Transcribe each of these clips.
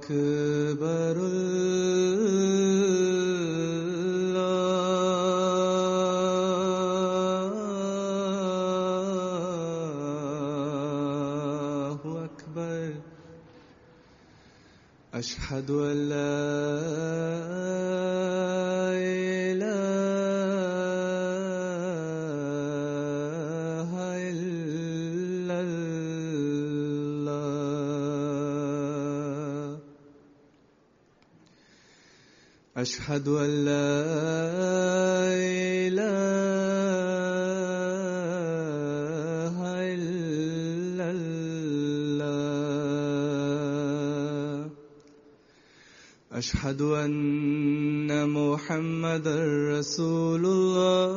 أكبر الله أكبر أشهد أن لا إله إلا الله أشهد أن لا إله إلا الله أشهد أن محمدا رسول الله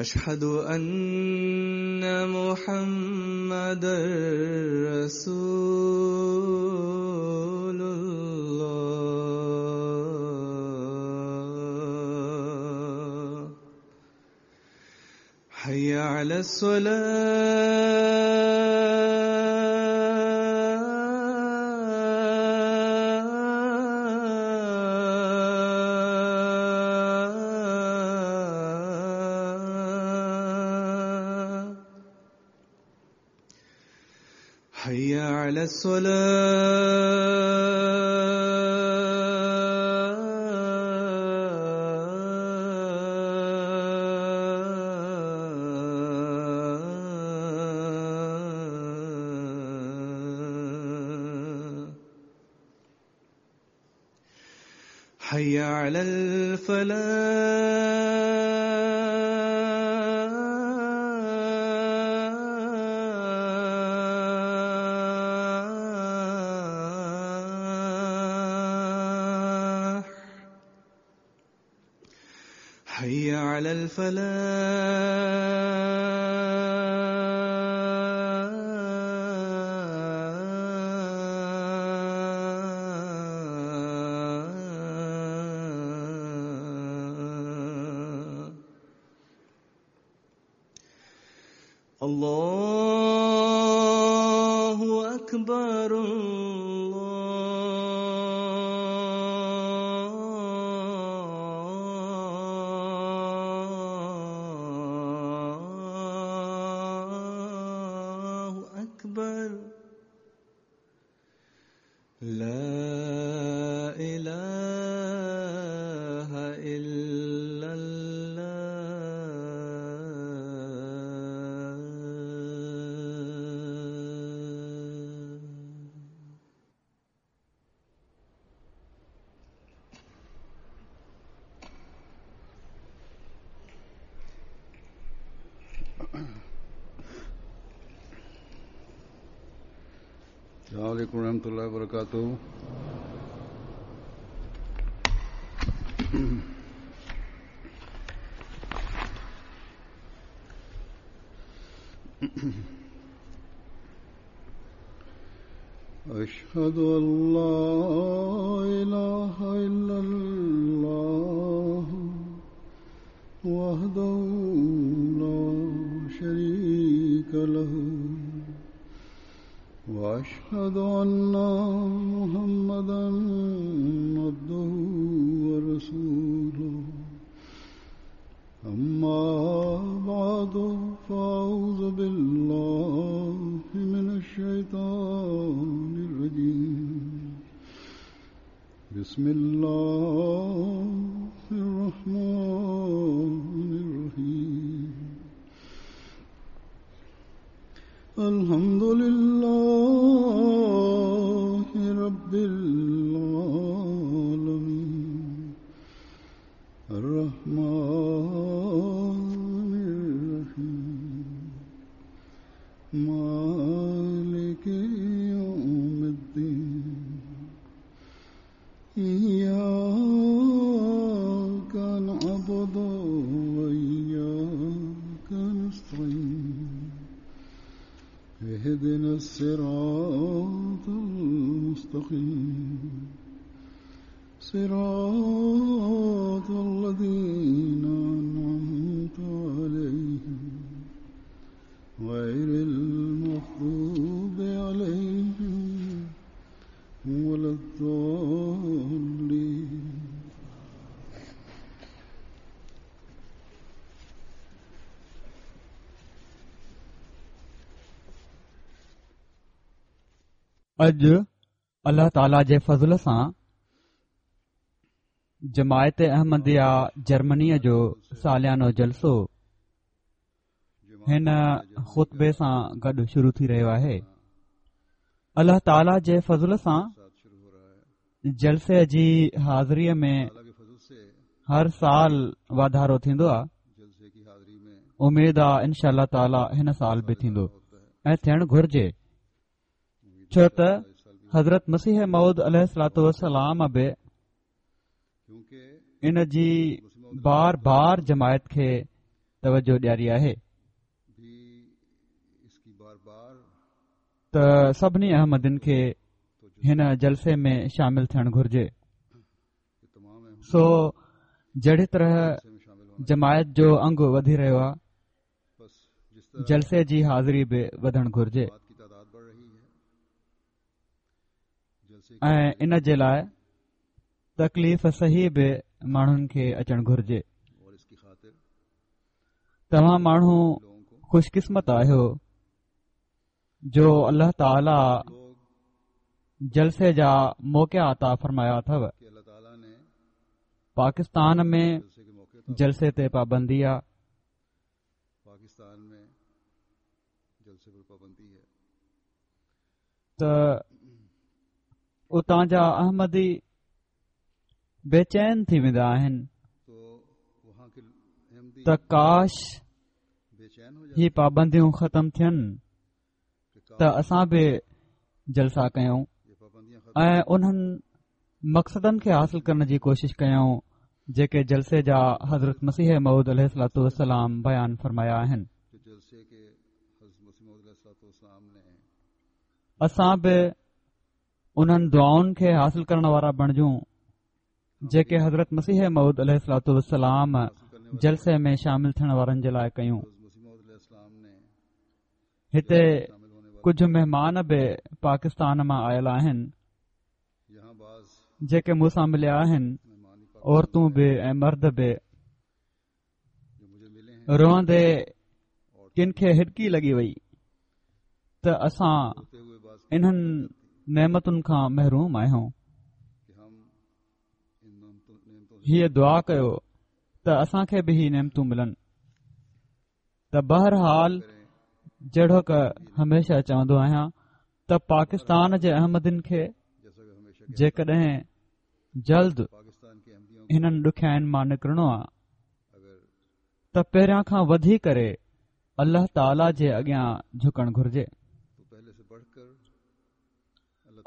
أشهد أن محمدا رسول الله حي على الصلاة حي على الصلاة حي على الفلاح حي على الفلاح الله أكبر الله أكبر لا إله إلا الله. السلام عليكم ورحمة الله وبركاته. أشهد أن لا إله إلا الله وحده لا شريك له وأشهد أن محمدا عبده ورسوله. أما بعد، فأعوذ بالله من الشيطان الرجيم. بسم الله الرحمن الرحيم. الحمد لله رب العالمين الرحمن الرحيم مالك يوم الدين إياك نعبد وإياك نستعين اهدنا الصراط المستقيم صراط الذين أنعمت عليهم غير المغضوب عليهم ولا الضالين. اڄ الله تعاليٰ جي فضل سان جماعت احمديه جرمنيء جو ساليانو جلسو هن خطبي سان گڏ شروع ٿي رهيو آهي. الله تعاليٰ جي فضل سان جلسي جي حاضريء ۾ هر سال واڌارو ٿيندو آهي. اميد آ انشاء الله تعاليٰ هن سال به ٿيندو ۽ ٿيڻ گهرجي، ڇو ته حضرت مسيح موعود عليه الصلوة والسلام به ان جي بار بار جماعت کي توجه ڏياري آهي ته سڀني احمدين کي هن جلسي ۾ شامل ٿيڻ گهرجي. سو جهڙي طرح جماعت جو انگ وڌي رهيو آهي، جلسي جي حاضري به وڌڻ گهرجي ۽ ان جي لاء تڪليف سهي به ماڻهن کي اچڻ گهرجي. توهان ماڻهو خوش قسمت آهيو جو الله تعاليٰ جلسي جا موقعا عطا فرمايا اٿو. پاڪستان ۾ جلسي تي پابندي آ. ته اتان جا احمدي بيچين ٿي ويندا آهن ته ڪاش هي پابنديون ختم ٿين ته اسان به جلسا ڪيون ۽ انهن مقصدن کي حاصل ڪرڻ جي ڪوشش ڪيون جيڪي جلسي جا حضرت مسيح موعود عليه الصلوة والسلام بيان فرمايا آهن. اسان به انهن دعائن کي حاصل ڪرڻ وارا بڻجون جيڪي حضرت مسيح موعود عليه الصلوة والسلام جلسي ۾ شامل ٿيڻ وارن جي لاء ڪيون. هتي ڪجهه مهمان به پاڪستان مان آيل آهن جيڪي مون سان مليا آهن، عورتون به ۽ مرد به. روئندي ڪن کي هڏڪي لڳي وئي ته اسان انهن نعمتن کان محروم آهيون. هيء دعا ڪيو ته اسان کي به هي نعمتون ملن. ته بهرحال جهڙوڪ هميشه چوندو آهيان ته پاڪستان جي احمدين کي جيڪڏهن جلد هنن ڏکيائين مان نڪرڻو آ ته پهريان کان وڌي ڪري الله تعاليٰ جي اڳيان جهڪڻ گهرجي.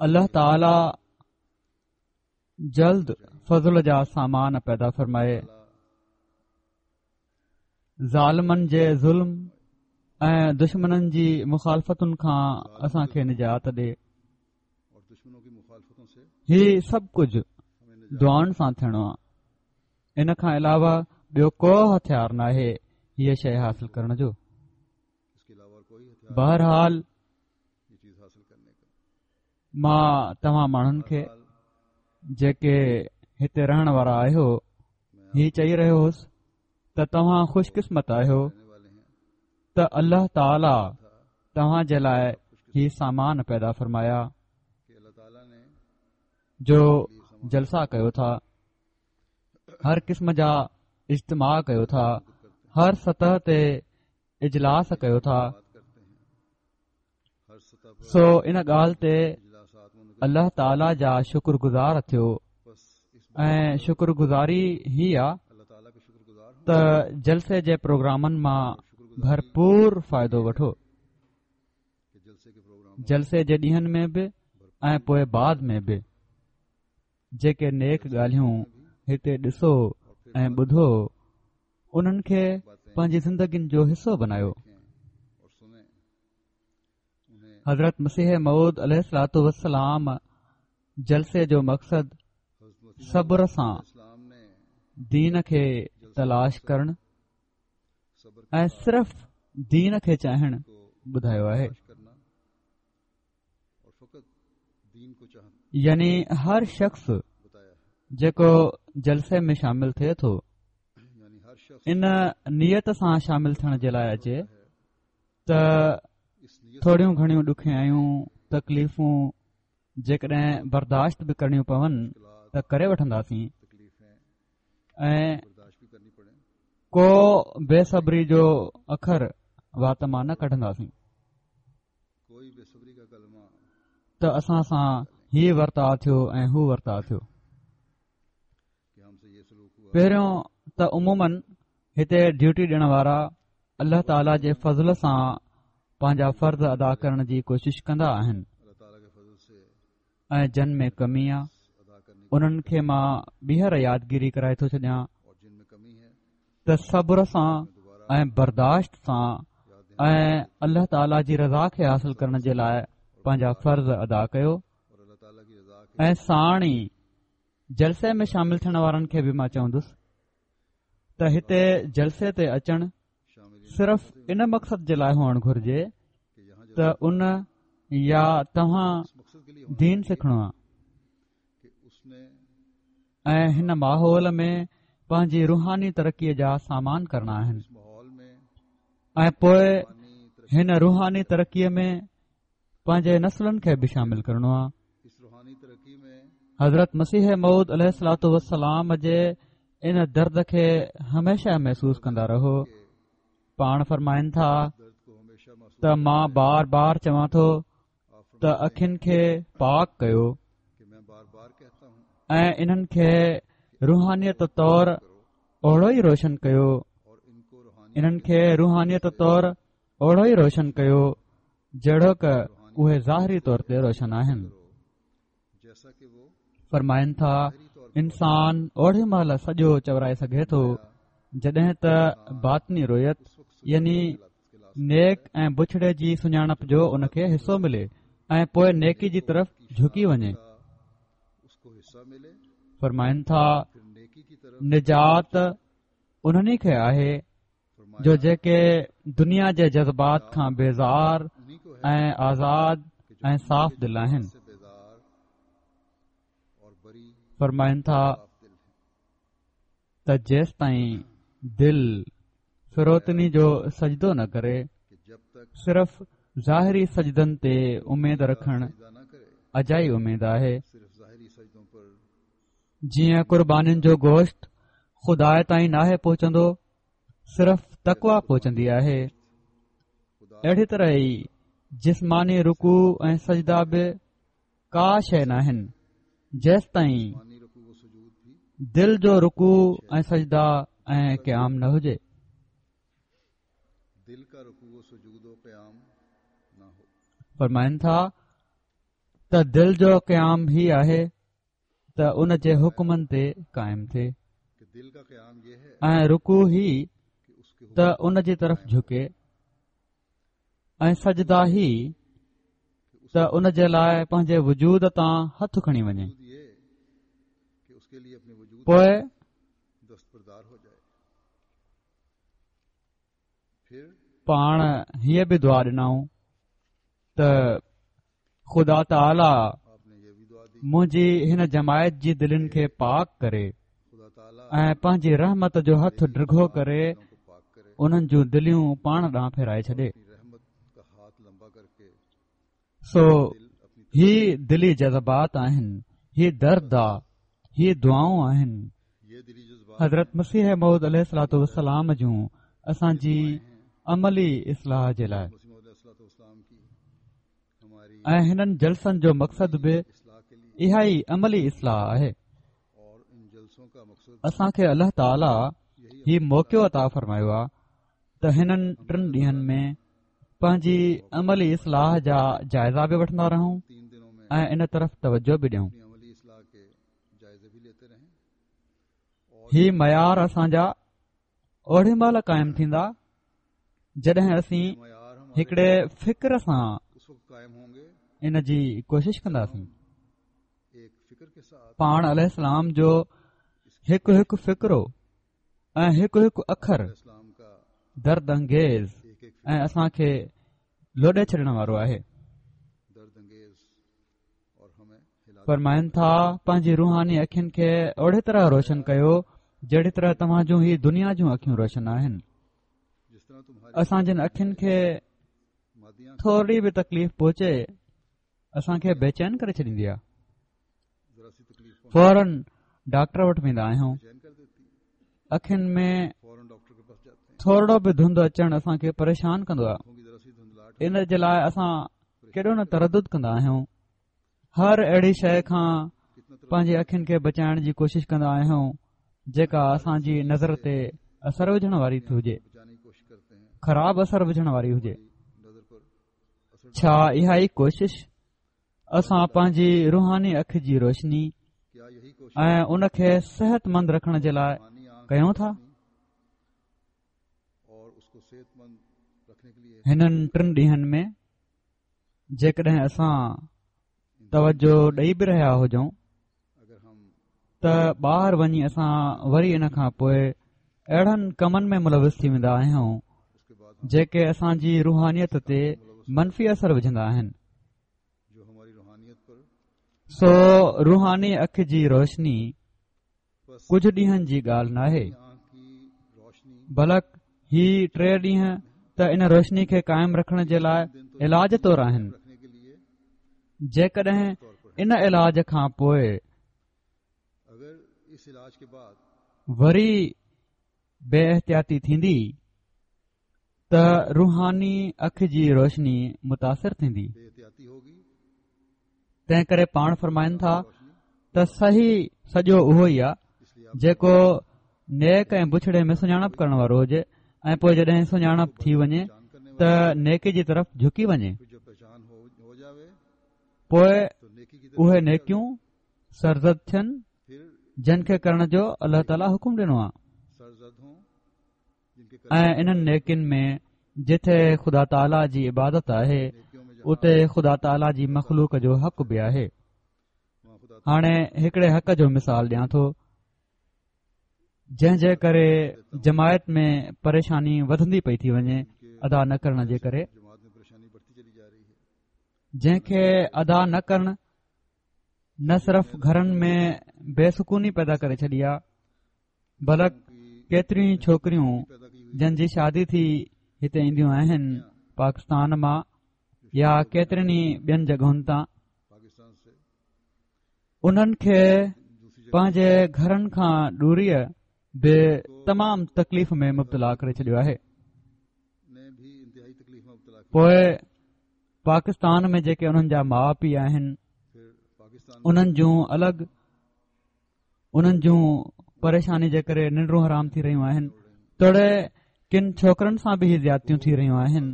الله تعاليٰ جلد فضل جا سامان پيدا فرمائي. ظالمن جي ظلم ۽ دشمنن جي مخالفتن کان اسان کي نجات ڏي. هي سڀ ڪجهه دعائن سان ٿيڻو آهي. ان کان علاوه ٻيو ڪو هٿيار ناهي هيء شيء حاصل ڪرڻ جو. بهرحال مان توهان ماڻهن کي جيڪي هتي رهڻ وارا آهيو هي چئي رهيو هوس ته توهان خوش قسمت آهيو ته الله تعاليٰ توهان جي لاء هي سامان پيدا فرمايا جو جلسا ڪيو ٿا، هر قسم جا اجتماع ڪيو ٿا، هر سطح تي اجلاس ڪيو ٿا. سو ان ڳالهه تي الله تعاليٰ جا شڪر گذار ٿيو ۽ شڪر گذاري هي آ ته جلسي جي پروگرامن مان ڀرپور فائدو وٺو، جلسي جي ڏينهن ۾ به ۽ پوء بعد ۾ به جيڪي نيڪ ڳالهيون هتي ڏسو ۽ ٻڌو انهن کي پنهنجي زندگين جو حصو بنايو. حضرت مسيح موعود عليه الصلوة والسلام جلسي جو مقصد صبر سان دين کي تلاش ڪرڻ ۽ صرف دين کي چاهڻ ٻڌايو آهي. يعني هر شخص جيڪو جلسي ۾ شامل ٿئي ٿو ان نيت سان شامل ٿيڻ جي لاء اچي ته ٿوريون گهڻيون ڏکيائيون تڪليفون جيڪڏهن برداشت به ڪرڻيون پون ته ڪري وٺنداسين ۽ ڪو بي صبري جو اکر وات مان نه ڪڍنداسين ته اسان سان هي ورتاء ٿيو ۽ هو ورتاء ٿيو. پهريون ته عموماً هتي ڊيوٽي ڏيڻ وارا الله تعاليٰ جي فضل سان پنهنجا فرض ادا ڪرڻ جي ڪوشش ڪندا آهن ۽ جن ۾ ڪمي آ انهن کي مان ٻيهر يادگيري ڪرائي ٿو ڇڏيان ته صبر سان ۽ برداشت سان ۽ الله تعاليٰ جي رضا کي حاصل ڪرڻ جي لاء پنهنجا فرض ادا ڪيو ۽ ساڻ ئي جلسي ۾ شامل ٿيڻ وارن کي به مان چوندس ته هتي جلسي تي اچڻ صرف ان مقصد جي لاء هئڻ گهرجي ته ان يا توهان دين سکڻو آهي ۽ هن ماحول ۾ پنهنجي روحاني ترقيء جا سامان ڪرڻا آهن ۽ پوء هن روحاني ترقيء ۾ پنهنجي نسلن کي به شامل ڪرڻو آهي. حضرت مسيح موعود عليه الصلوٰة والسلام جي ان درد کي هميشه محسوس ڪندا رهو. پاڻ فرمائن ٿا ته مان بار بار چوان ٿو ته اکين کي پاڪ ڪيو ۽ انهن کي روحانيت طور اوڙو ئي روشن ڪيو انهن کي روحانيت طور اوڙو ئي روشن ڪيو جهڙوڪ اهي ظاهري طور تي روشن آهن. فرمائن ٿا انسان اوڙي مهل سڄو چورائي سگهي ٿو جڏهن ته باطني رويت يعني نيڪ ۽ بڇڙي جي سڃاڻپ جو ان کي حصو ملي ۽ پوء نيڪي جي طرف جهڪي وڃي. فرمائن ٿا نجات انهن ئي کي آهي جو جيڪي دنيا جي جذبات کان بيزار ۽ آزاد ۽ صاف دل آهن. فرمائن ٿا ته جيستائين دل فروتني جو سجدو نه ڪري صرف ظاهري سجدن تي اميد رکڻ اجائي اميد آهي. جيئن قربانين جو گوشت خدا تائين ناهي پهچندو صرف تقويٰ پهچندي آهي اهڙي طرح ئي جسماني رڪوع ۽ سجدا به ڪا شيء ناهن جيستائين دل جو رڪوع ۽ سجدا ۽ قيام نه هجي. فرمائن ٿا ته دل جو قيام هي آهي ته ان جي حڪمن تي قائم ٿئي ۽ رڪوع هي ته ان جي طرف جهڪي ۽ سجدا هي ته ان جي لاء پنهنجي وجود تان هٿ کڻي وڃي پوء پاڻ هيء به دعا ڏنائون ته خدا تعاليٰ منهنجي هن جماعت جي دلين کي پاڪ ڪري ۽ پنهنجي رحمت جو هٿ ڊگهو ڪري انهن جون دليون پاڻ ڏانهن ڦيرائي ڇڏي. سو هي دلي جذبات آهن، هي درد آ، هي دعائون آهن حضرت مسيح موعود عليه الصلوٰة والسلام جون اسان جي عملي اصلاح جي لاء ۽ هنن جلسن جو مقصد به اها ئي عملي اصلاح آهي. اسان کي الله تعاليٰ هي موقعو عطا فرمايو آهي ته هنن ٽن ڏينهن ۾ پنهنجي عملي اصلاح جا جائزا به وٺندا رهون ۽ ان طرف توجه به ڏيون. هي معيار اسان جا اوڙي مهل قائم ٿيندا جڏهن اسين هڪڙي فڪر سان ان جي ڪوشش ڪنداسين. پاڻ عليه السلام جو هڪ هڪ فقرو ۽ هڪ هڪ اکر درد انگيز ۽ اسان کي لوڏي ڇڏڻ وارو آهي. فرمائن ٿا پنهنجي روحاني اکين کي اهڙي طرح روشن ڪيو جهڙي طرح توهان جون هي دنيا جون اکيون روشن آهن. اسان جن اکين کي ٿوري به تڪليف پهچي اسان کي بيچين ڪري ڇڏيندي آهي. فورن ڊاڪٽر وٽ ويندا آهيون اکين ۾ ٿورڙو به ڌنڌ اچڻ اسان کي پريشان ڪندو آهي ان جي لاء اسان ڪيڏو نه تردد ڪندا آهيون هر اهڙي شيء کان پنهنجي اکين کي بچائڻ جي ڪوشش ڪندا آهيون جيڪا اسان جي نظر تي اثر وجهڻ واري ٿي هجي خراب اثر وجهڻ واري هجي ڇا اها ئي ڪوشش اسان پنهنجي روحاني اک جي روشني ۽ ان کي صحت مند رکڻ جي لاء ڪيون ٿا؟ هنن ٽن ڏينهن ۾ جيڪڏهن اسان توجه ڏئي به رهيا هجون ته ٻاهر وڃي اسان وري ان کان پوء اهڙن ڪمن ۾ ملوث ٿي ويندا آهيون جيڪي اسان جي روحانيت تي منفي اثر وجهندا آهن سو روحاني اک جي روشني ڪجهه ڏينهن جي ڳالهه ناهي بلڪ هي ٽي ڏينهن ته ان روشني کي قائم رکڻ جي لاء علاج طور آهن جيڪڏهن ان علاج کان پوء وري بي احتياطي ٿيندي ته روحاني اک جي روشني متاثر ٿيندي. تنهن ڪري پاڻ فرمائن ٿا ته صحيح سڄو اهو ئي آهي جيڪو نيڪ ۽ بڇڙي ۾ سڃاڻپ ڪرڻ وارو هجي ۽ پوء جڏهن سڃاڻپ ٿي وڃي ته نيڪي جي طرف جهڪي وڃي پوء اهي نيڪيون سرزد ٿين جن کي ڪرڻ جو الله تعاليٰ حڪم ڏنو آهي ۽ انهن نيڪين ۾ جٿي خدا تعاليٰ جي عبادت آهي اتي خدا تعاليٰ جي مخلوق جو حق به آهي. هاڻي هڪڙي حق جو مثال ڏيان ٿو جنهن جي ڪري جماعت ۾ پريشاني وڌندي پئي ٿي وڃي ادا نه ڪرڻ جي ڪري جنهن کي ادا نه ڪرڻ نه صرف گهرن ۾ بي سڪوني پيدا ڪري ڇڏي آهي بلڪ ڪيتريون ئي ڇوڪريون جن جي شادي ٿي هتي اينديون آهن پاڪستان مان يا ڪيترين ئي ٻين جڳهن تان انهن کي پنهنجي گهرن کان دوريء به تمام تڪليف ۾ مبتلا ڪري ڇڏيو آهي پوء پاڪستان ۾ جيڪي انهن جا ماء پيء آهن انهن جون الڳ انهن جون پريشاني جي ڪري ننڊون حرام ٿي رهيون آهن توڙي ڪن ڇوڪرن سان به هي زيادتيون ٿي رهيون آهن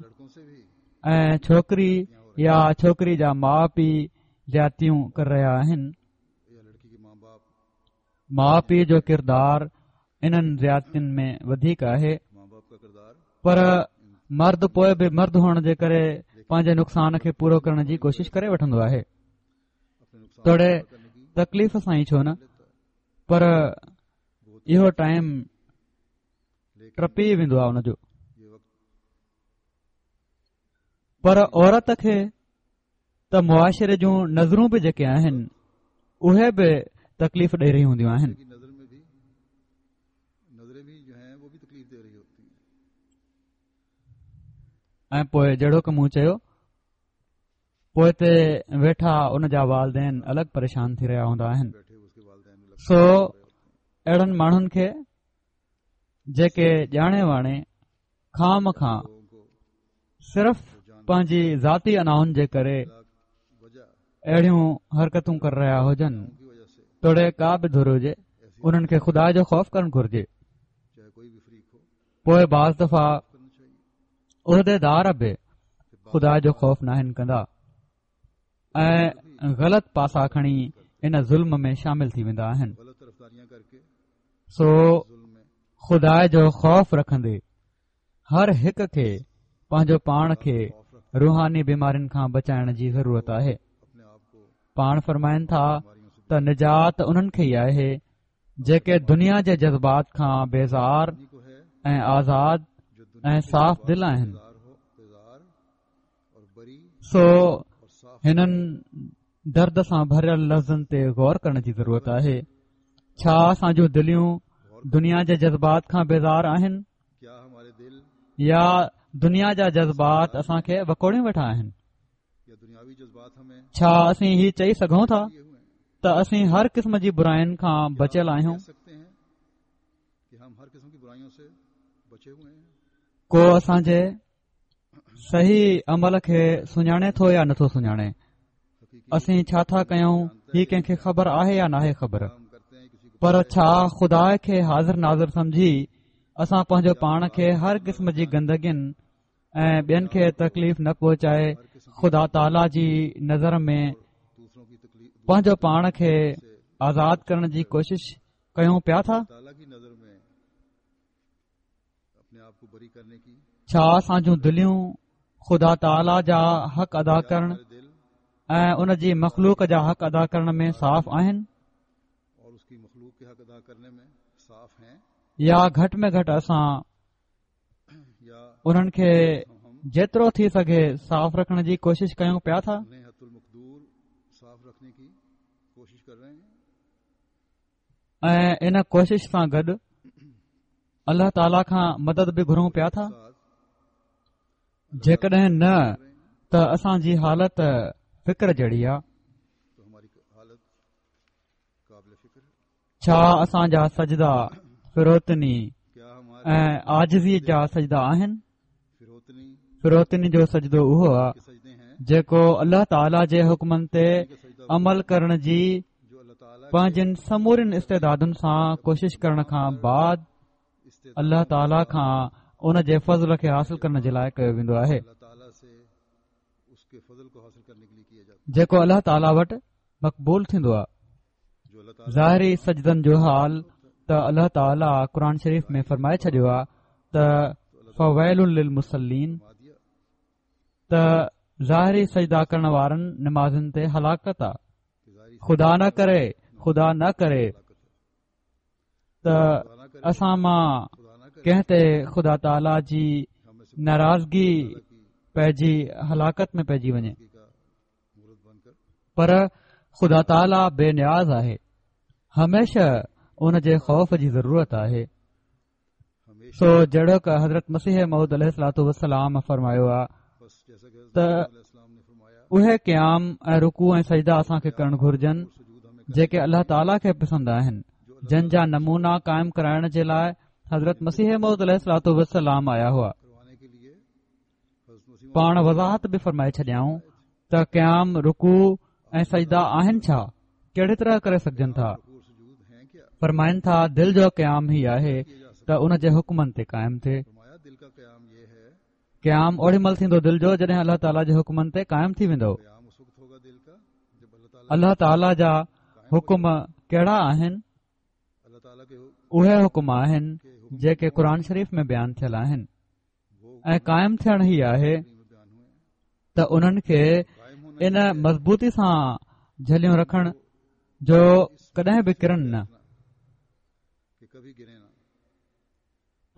۽ ڇوڪري يا ڇوڪري جا ماء پيء زيادتيون ڪري رهيا آهن ماء پيء جو ڪردار انهن زيادتين ۾ وڌيڪ آهي پر مرد پوء به مرد هئڻ جي ڪري پنهنجي نقصان کي پورو ڪرڻ جي ڪوشش ڪري وٺندو آهي توڙي تڪليف سان ئي ڇو نه پر اهو ٽائيم ٽپي ويندو آهي ان جو پر عورت کي ته معاشري جون نظرون به جيڪي آهن اهي به تڪليف ڏئي رهيون هونديون آهن ۽ پوء جهڙوڪ مون چيو پوئتي ويٺا ان جا والدين الڳ پريشان ٿي رهيا هوندا آهن سو اهڙن ماڻهن کي جيڪي ڄاڻي واڻي خوامخواه صرف پنهنجي ذاتي انائن جي ڪري اهڙيون حرڪتون ڪري رهيا هجن توڙي ڪا به ڌر هجي انهن کي خدا جو خوف ڪرڻ گهرجي پوء بعض دفعا عهديدار به خدا جو خوف ناهن ڪندا ۽ غلط پاسا کڻي ان ظلم ۾ شامل ٿي ويندا آهن سو خدا جو خوف رکندي هر هڪ کي پنهنجو پاڻ کي روحاني بيمارين کان بچائڻ جي ضرورت آهي پاڻ فرمائن ٿا. ته نجات انهن کي ئي آهي جيڪي دنيا جي جذبات کان بيزار ۽ آزاد ۽ صاف دل آهن. سو هنن درد سان ڀريل لفظن تي غور ڪرڻ جي ضرورت آهي. ڇا اسان جون دليون دنيا جي جذبات کان بيزار آهن يا دنيا جا جذبات اسان کي وڪوڙيون ويٺا آهن؟ ڇا اسين هي چئي سگهون ٿا ته اسين هر قسم جي براين کان بچيل آهيون؟ ڪو اسان جي صحيح عمل کي سڃاڻي ٿو يا نٿو سڃاڻي؟ اسين ڇا ٿا ڪيون هي ڪنهن کي خبر آهي يا ناهي خبر؟ پر ڇا خدا کي حاضر ناظر سمجهي اسان پنهنجو پاڻ کي هر قسم جي گندگين ۽ ٻين کي تڪليف نه پهچائي خدا تعاليٰ جي نظر ۾ پنهنجو پاڻ کي آزاد ڪرڻ جي ڪوشش ڪيون پيا ٿا؟ ڇا اسان جون دليون خدا تعاليٰ جا حق ادا ڪرڻ ۽ ان جي مخلوق جا حق ادا ڪرڻ ۾ صاف آهن؟ يا گهٽ ۾ گهٽ اسان انهن کي جيترو ٿي سگهي صاف رکڻ جي ڪوشش ڪيون پيا ٿا؟ ۽ ان ڪوشش سان گڏ الله تعاليٰ کان مدد به گهرون پيا ٿا؟ جيڪڏهن نه ته اسان جي حالت فڪر جهڙي آهي. ڇا اسان جا سجدا فروتني ۽ عاجزي جا سجدا آهن؟ فروتني جو سجدو اهو آهي جيڪو الله تعاليٰ جي حڪمن تي عمل ڪرڻ جي پنهنجن سمورين استعدادن سان ڪوشش ڪرڻ کان بعد الله تعاليٰ کان ان جي فضل کي حاصل ڪرڻ جي لاء ڪيو ويندو آهي جيڪو الله تعاليٰ وٽ مقبول ٿيندو آهي ظاهري سجدن جو حال ته الله تعاليٰ قرآن شريف ۾ فرمائي ڇڏيو آهي ته فويل للمصلين ته ظاهري سجدا ڪرڻ وارن نمازين تي هلاڪت آ خدا نه ڪري خدا نه ڪري ته اسان مان ڪنهن تي خدا تعاليٰ جي ناراضگي پئجي هلاڪت ۾ پئجي وڃي پر خدا تعاليٰ بي نياز آهي هميشه ان جي خوف جي ضرورت آهي سو جهڙوڪ حضرت مسيح موعود عليه الصلوٰة والسلام فرمايو آ ته اهي قيام ۽ رڪوع ۽ سجدا اسان کي ڪرڻ گهرجن جيڪي الله تعاليٰ کي پسند آهن جن جا نمونا قائم ڪرائڻ جي لاء حضرت مسيح موعود عليه الصلوٰة والسلام آيا هئا پاڻ وضاحت به فرمائي ڇڏيائون ته قيام رڪوع ۽ سجدا آهن ڇا ڪهڙي طرح ڪري سگهجن ٿا فرمائن ٿا دل جو قيام هي آهي ته ان جي حڪمن تي قائم ٿئي قيام اوڏي مهل ٿيندو دل جو جڏهن الله تعاليٰ جي حڪمن تي قائم ٿي ويندو الله تعاليٰ جا حڪم ڪهڙا آهن اهي حڪم آهن جيڪي قرآن شريف ۾ بيان ٿيل آهن ۽ قائم ٿيڻ هي آهي ته انهن کي ان مضبوطي سان جهليون رکڻ جو ڪڏهن به ڪرن نه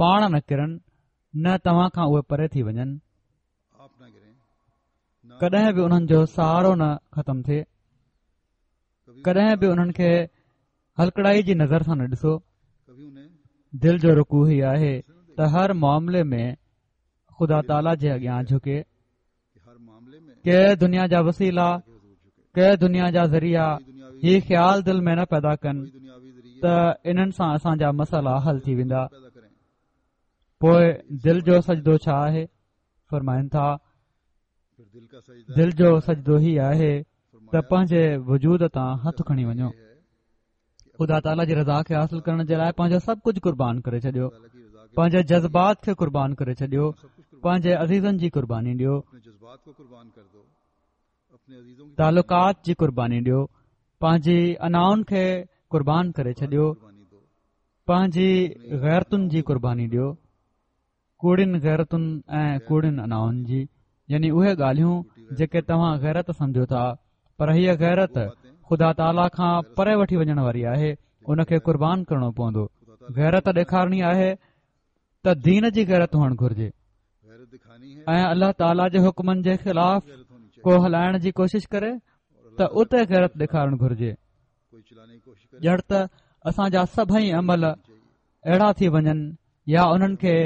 پاڻ نه ڪرن نه توهان کان اهي پري ٿي وڃن ڪڏهن به انهن جو سهارو نه ختم ٿئي ڪڏهن به انهن کي هلڪڙائي جي نظر سان نه ڏسو دل جو رڪوع هي آهي ته هر معاملي ۾ خدا تعاليٰ جي اڳيان جهڪي ڪي دنيا جا وسيلا ڪي دنيا جا ذريعا هي خيال دل ۾ نه پيدا ڪن ته انهن سان اسان جا مسئلا حل ٿي ويندا پوء دل جو سجدو ڇا آهي فرمائن ٿا دل جو سجدو هي آهي ته پنهنجي وجود تان هٿ کڻي وڃو خدا تعاليٰ جي رضا کي حاصل ڪرڻ جي لاء پنهنجو سڀ ڪجهه قربان ڪري ڇڏيو پنهنجي جذبات کي قربان ڪري ڇڏيو پنهنجي عزيزن جي قرباني ڏيو تعلقات جي قرباني ڏيو پنهنجي انائن کي قربان ڪري ڇڏيو پنهنجي غيرتن جي قرباني ڏيو ڪوڙين غيرتن ۽ ڪوڙين انائن جي يعني اهي ڳالهيون جيڪي توهان غيرت سمجهو ٿا پر هيء غيرت خدا تعاليٰ کان پري وٺي وڃڻ واري آهي، ان کي قربان ڪرڻو پوندو. غيرت ڏيکارڻي آهي ته دين جي غيرت هئڻ گهرجي ۽ الله تعاليٰ جي حڪمن جي خلاف ڪو هلائڻ جي ڪوشش ڪري ته اتي غيرت ڏيکارڻ گهرجي. ڄڻ ته اسان جا سڀئي عمل اهڙا ٿي وڃن يا انهن کي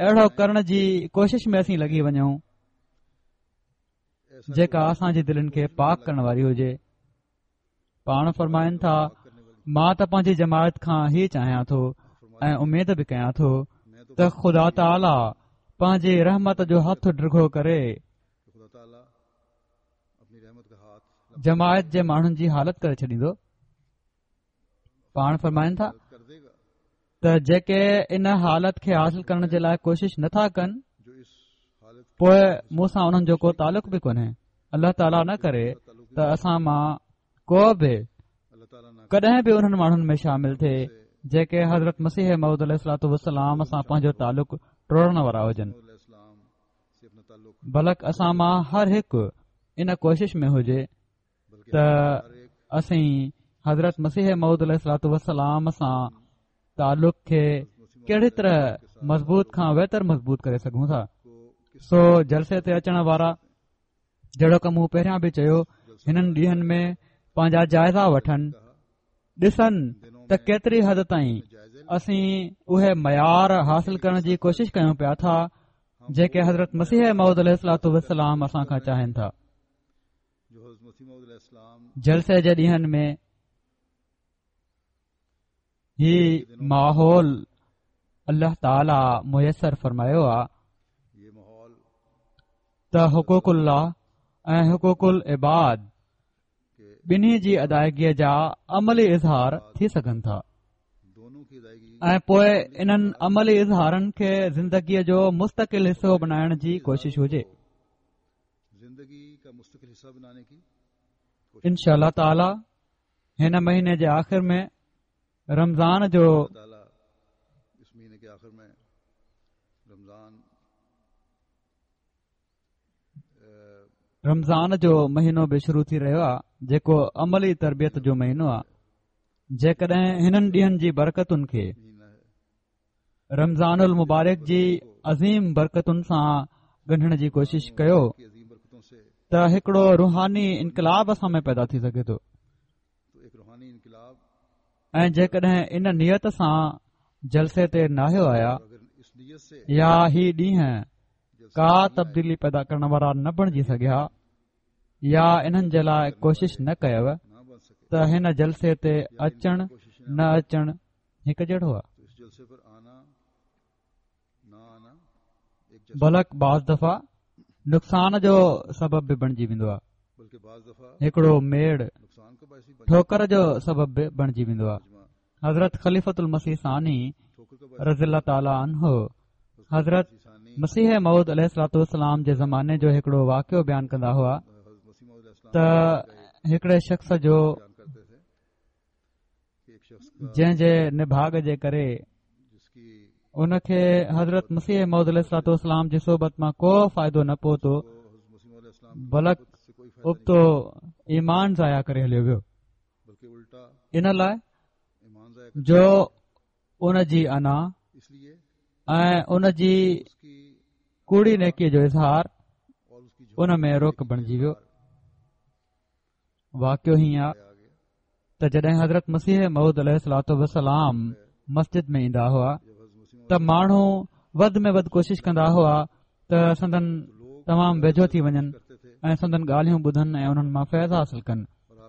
اهڙو ڪرڻ جي ڪوشش ۾ اسين لڳي وڃون جيڪا اسان جي دلين کي پاڪ ڪرڻ واري هجي. پاڻ فرمائن ٿا، مان ته پنهنجي جماعت کان هي چاهيان ٿو ۽ اميد به ڪيان ٿو ته خدا تعاليٰ پنهنجي رحمت جو هٿ ڊگهو ڪري جماعت جي ماڻهن جي حالت ڪري ڇڏيندو. پاڻ فرمائن ٿا ته جيڪي ان حالت کي حاصل ڪرڻ جي لاء ڪوشش نٿا ڪن، پوء مون سان انهن جو ڪو تعلق به ڪونهي. الله تعاليٰ نه ڪري ته اسان مان ڪو به ڪڏهن به انهن ماڻهن ۾ شامل ٿئي جيڪي حضرت مسيح موعود عليه الصلوٰة والسلام سان پنهنجو تعلق ٽوڙڻ وارا هجن، بلڪ اسان مان هر هڪ ان ڪوشش ۾ هجي ته اسين حضرت مسيح موعود عليه الصلوٰة والسلام سان تعلق کي ڪهڙي طرح مضبوط کان ويتر مضبوط ڪري سگهون ٿا. سو جلسي تي اچڻ وارا، جهڙوڪ مون پهريان به چيو، هنن ڏينهن ۾ پنهنجا جائزا وٺن، ڏسن ته ڪيتري حد تائين اسين اهي معيار حاصل ڪرڻ جي ڪوشش ڪيون پيا ٿا جيڪي حضرت مسيح موعود عليه الصلوٰة والسلام اسان کان چاهين ٿا. جلسي جي ڏينهن ۾ هي ماحول الله تعاليٰ ميسر فرمايو آ ته حقوق الله ۽ حقوق العباد ٻنهي جي ادائگيء جا عملي اظهار ٿي سگهن ٿا ۽ پوء انهن عملي اظهارن کي زندگيء جو مستقل حصو بنائڻ جي ڪوشش هجي. انشاء الله تعالي هن مهيني جي آخر ۾ رمضان جو رمضان جو مهينو به شروع ٿي رهيو آهي، جيڪو عملي تربيت جو مهينو آهي. جيڪڏهن هنن ڏينهن جي برڪتن کي رمضان المبارڪ جي عظيم برڪتن سان ڳنڍڻ جي ڪوشش ڪيو ته هڪڙو روحاني انقلاب اسان ۾ پيدا ٿي سگهي ٿو ۽ جيڪڏهن ان نيت سان جلسي تي ناهيو آيا يا هي ڏينهن ڪا تبديلي پيدا ڪرڻ وارا نه بڻجي سگهيا يا انهن جي لاء ڪوشش نه ڪيو ته هن جلسي تي اچڻ نه اچڻ هڪ جهڙو آهي. بلڪ بعض دفعا نقصان جو سبب به بڻجي ويندو آهي. هڪڙو ميڙ ٺوڪر جو سبب به بڻجي ويندو آهي. حضرت خليفة المسيح ثاني رضي الله تعالٰي عنه حضرت مسيح موعود عليه الصلوٰة والسلام جي زماني جو هڪڙو واقعو بيان ڪندا هئا ته هڪڙي شخص جو جنهن جي نڀاڳ جي ڪري ان کي حضرت مسيح موعود عليه الصلوٰة والسلام جي صحبت مان ڪو فائدو نه پهتو، بلڪ ابتو ايمان ضايع ڪري هليو ويو، ان لاء جو ان جي انا ۽ ان جي ڪوڙي نيڪي جو اظهار ان ۾ روڪ بڻجي ويو. واقعو هيئن آ ته جڏهن حضرت مسيح موعود عليه الصلوٰة والسلام مسجد ۾ ايندا هئا ته ماڻهو وڌ ۾ وڌ ڪوشش ڪندا هئا ته سندن تمام ويجهو ٿي وڃن ۽ سندن ڳالهيون ٻڌن ۽ انهن مان فيض حاصل ڪن،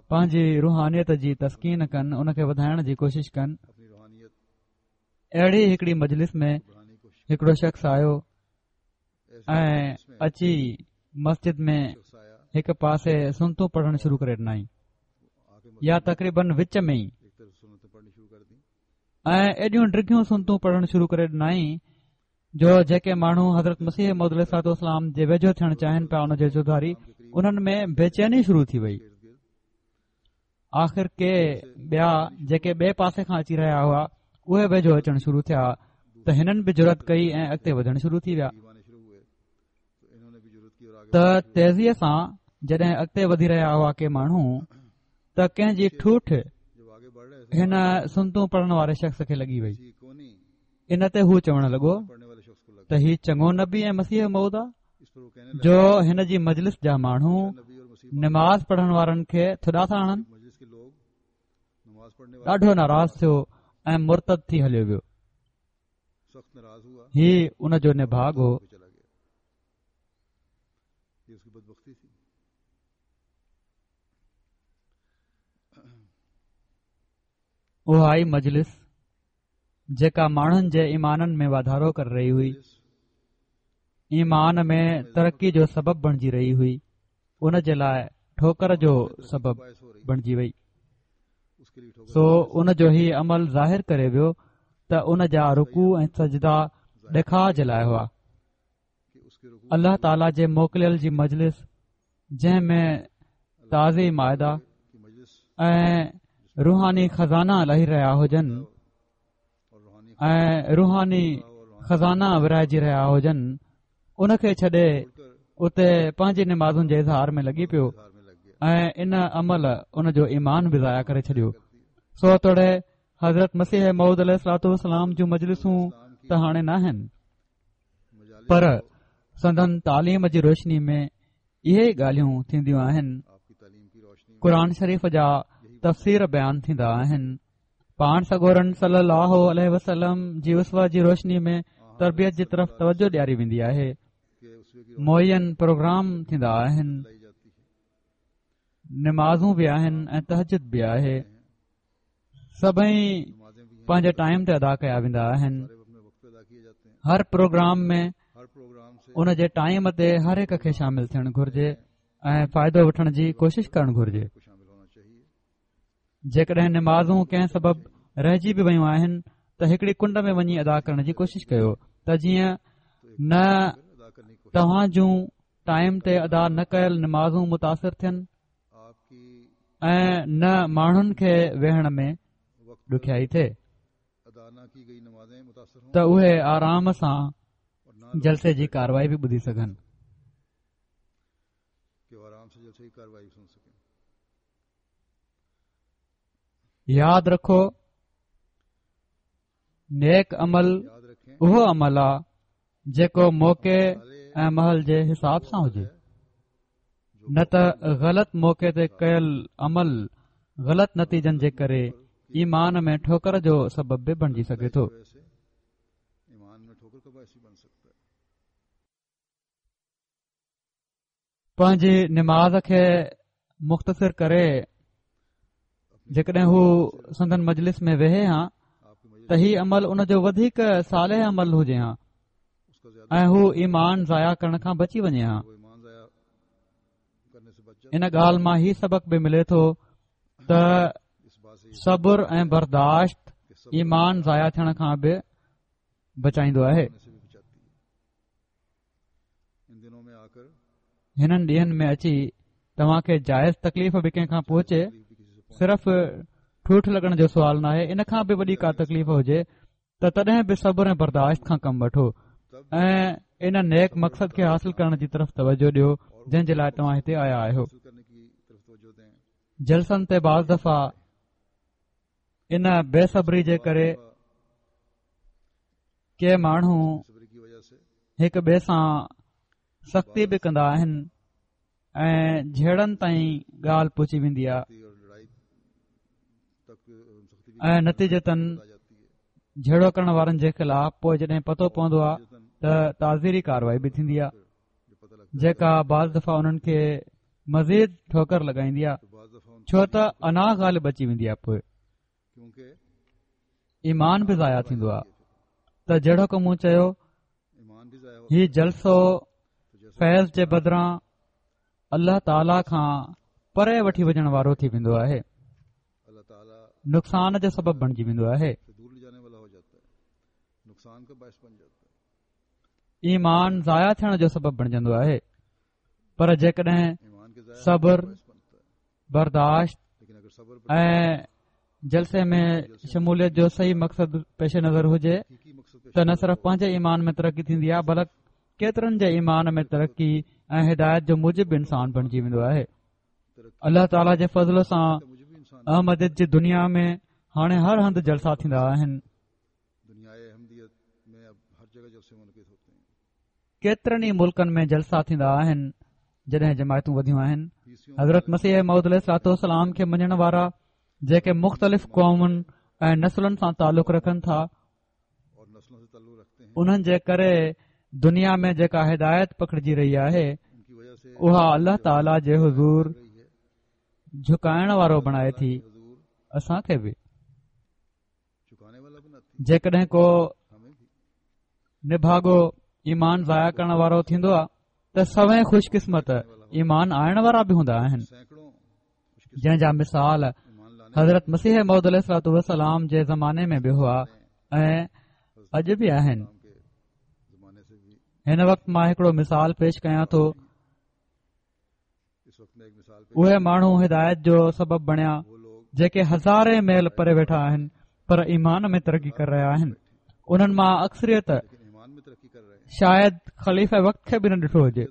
پنهنجي روحانيت جي تسڪين ڪن، ان کي وڌائڻ جي ڪوشش ڪن. اهڙي هڪڙي مجلس ۾ هڪڙو شخص آيو ۽ اچي مسجد ۾ هڪ پاسي سنتون پڙهڻ شروع ڪري ڏنائين يا تقريبن وچ ۾ ئي، ۽ ايڏيون ڊگهيون سنتون پڙهڻ شروع ڪري ڏنائين جو جيڪي ماڻهو حضرت مسيح موعود عليه الصلوٰة والسلام جي ويجهو ٿيڻ چاهين پيا ان جي چوڌاري، انهن ۾ بيچيني شروع ٿي وئي. آخر ڪي ٻيا جيڪي ٻئي پاسي کان اچي رهيا هئا، اهي ويجهو اچڻ شروع ٿيا ته هنن به جرئت ڪئي ۽ اڳتي وڌڻ شروع ٿي ويا ته تيزيء سان جڏهن اڳتي وڌي رهيا هئا ڪي ماڻهو ته ڪنهن جي ٺوٺ هن سنتون پڙهڻ واري شخص کي لڳي وئي. ان تي هو چوڻ لڳو ته هي چڱو نبي ۽ مسيح موعود آ جو هن جي مجلس جا ماڻهو نماز پڙهڻ وارن کي ٿڏا ٿا هڻن. ڏاڍو ناراض ٿيو ۽ مرتد ٿي هليو ويو. هي ان جو نڀاڳ هو. اها ئي مجلس جيڪا ماڻهن جي ايمانن ۾ واڌارو ڪري رهي هئي، ايمان ۾ ترقي جو سبب بڻجي رهي هئي، ان جي لاء ٺوڪر جو سبب بڻجي وئي. سو ان جو هي عمل ظاهر ڪري ويو ته ان جا رڪوع ۽ سجدا ڏيکاء جي لاء هئا. الله تعاليٰ جي موڪليل جي مجلس جنهن ۾ تازي مائده ۽ روحاني خزانا لهي رهيا هجن ۽ روحاني خزانا ورهائجي رهيا هجن، ان کي ڇڏي اتي پنهنجي نمازن جي اظهار ۾ لڳي پيو ۽ ان عمل ان جو ايمان به ضايع ڪري ڇڏيو. سو توڙي حضرت مسيح موعود عليه الصلوٰة والسلام جون مجلسون ته هاڻي ناهن، پر سندن تعليم جي روشني ۾ اهي ئي ڳالهيون ٿينديون آهن. قرآن شريف جا تفسير بيان ٿيندا آهن. پاڻ سڳورن صلي الله عليه وسلم جي اسوه جي روشني ۾ تربيت جي طرف توجه ڏياري ويندي آهي. معين پروگرام ٿيندا آهن. نمازون به آهن ۽ تهجد به آهي. سڀئي پنهنجي ٽائيم تي ادا ڪيا ويندا آهن. هر پروگرام ۾ ان جي ٽائيم تي هر هڪ کي شامل ٿيڻ گهرجي ۽ فائدو وٺڻ جي ڪوشش ڪرڻ گهرجي. جيڪڏهن نمازون ڪنهن سبب رهجي به ويون آهن ته هڪڙي ڪنڊ ۾ وڃي ادا ڪرڻ جي ڪوشش ڪيو ته جيئن نه توهان جون ٽائيم تي ادا نه ڪيل نمازون متاثر ٿين ۽ نه ماڻهن کي ويهڻ ۾ ڏکيائي ٿئي ته اهي آرام سان جلسي جي ڪاروائي به ٻڌي سگهن. ياد رکو، نيڪ عمل اهو عمل آ جيڪو موقعي ۽ محل جي حساب سان هجي، نه ته غلط موقعي تي ڪيل عمل غلط نتيجن جي ڪري ايمان ۾ ٺوڪر جو سبب به بڻجي سگهي ٿو. پنهنجي نماز کي مختصر ڪري جيڪڏهن هو سندن مجلس ۾ ويهي ها ته هي عمل ان جو وڌيڪ صالح عمل هجي ها ۽ هو ايمان ضايع ڪرڻ کان بچي وڃي ها. ان ڳالهه مان هي سبق به ملي ٿو ته صبر ۽ برداشت ايمان ضايع ٿيڻ کان به بچائيندو آهي. هنن ڏينهن ۾ اچي توهان کي جائز تڪليف به ڪنهن کان پهچي، صرف ٺوٺ لڳڻ جو سوال ناهي، ان کان به وڏي ڪا تڪليف هجي ته تڏهن به صبر ۽ برداشت کان ڪم وٺو ۽ ان نيڪ مقصد کي حاصل ڪرڻ جي طرف توجه ڏيو جنهن جي لاء توهان هتي آيا آهيو. جلسن تي بعض دفعا ان بي صبري جي ڪري ڪي ماڻهو هڪ ٻئي سان سختي به ڪندا آهن ۽ جهيڙن تائين ڳالهه پهچي ويندي آهي ۽ نتيجتن جهيڙو ڪرڻ وارن جي خلاف پوء جڏهن پتو پوندو آهي ته تعزيري ڪارروائي به ٿيندي آهي جيڪا بعض دفعا انهن کي مزيد ٺوڪر لڳائيندي آهي، ڇو ته انا غالب اچي ويندي آهي، پوء ايمان به ضايع ٿيندو آهي. ته جهڙوڪ مون چيو، هي جلسو فيض جي بدران الله تعاليٰ کان پري وٺي وڃڻ وارو ٿي ويندو آهي، نقصان جو سبب بڻجي ويندو آهي. ايمان ضايع ٿيڻ جو سبب بڻجندو آهي. پر جيڪڏهن صبر، برداشت ۽ جلسي ۾ شموليت جو صحيح مقصد پيش نظر هجي ته نه صرف پنهنجي ايمان ۾ ترقي ٿيندي آهي، بلڪ ڪيترن جي ايمان ۾ ترقي ۽ هدايت جو موجب به انسان بڻجي ويندو آهي. الله تعاليٰ جي فضل سان احمديت جي دنيا ۾ هاڻي هر هنڌ جلسا ٿيندا آهن. ڪيترن ئي ملڪن ۾ جلسا ٿيندا آهن جڏهن جماعتون وڌيون آهن. حضرت مسيح موعود عليه الصلوة والسلام کي مڃڻ وارا جيڪي مختلف قومن ۽ نسلن سان تعلق رکن ٿا انهن جي ڪري دنيا ۾ جيڪا هدايت پکڙجي رهي آهي اها الله تعاليٰ جي حضور جهڪائڻ وارو بڻائي ٿي اسان کي به جيڪڏهن ڪو نڀاڳو ايمان ضايع ڪرڻ وارو ٿيندو آهي ته سوين خوش قسمت ايمان آڻڻ وارا به هوندا آهن جنهن جا مثال حضرت مسيح موعود عليه الصلوة والسلام جي زماني ۾ به هئا ۽ اڄ به آهن. هن وقت مان هڪڙو مثال پيش ڪيان ٿو. اهي ماڻهو هدايت جو سبب بڻيا جيڪي هزارين ميل پري ويٺا آهن پر ايمان ۾ ترقي ڪري رهيا آهن. انهن مان اڪثريت شايد خليفه وقت کي به نه ڏٺو هجي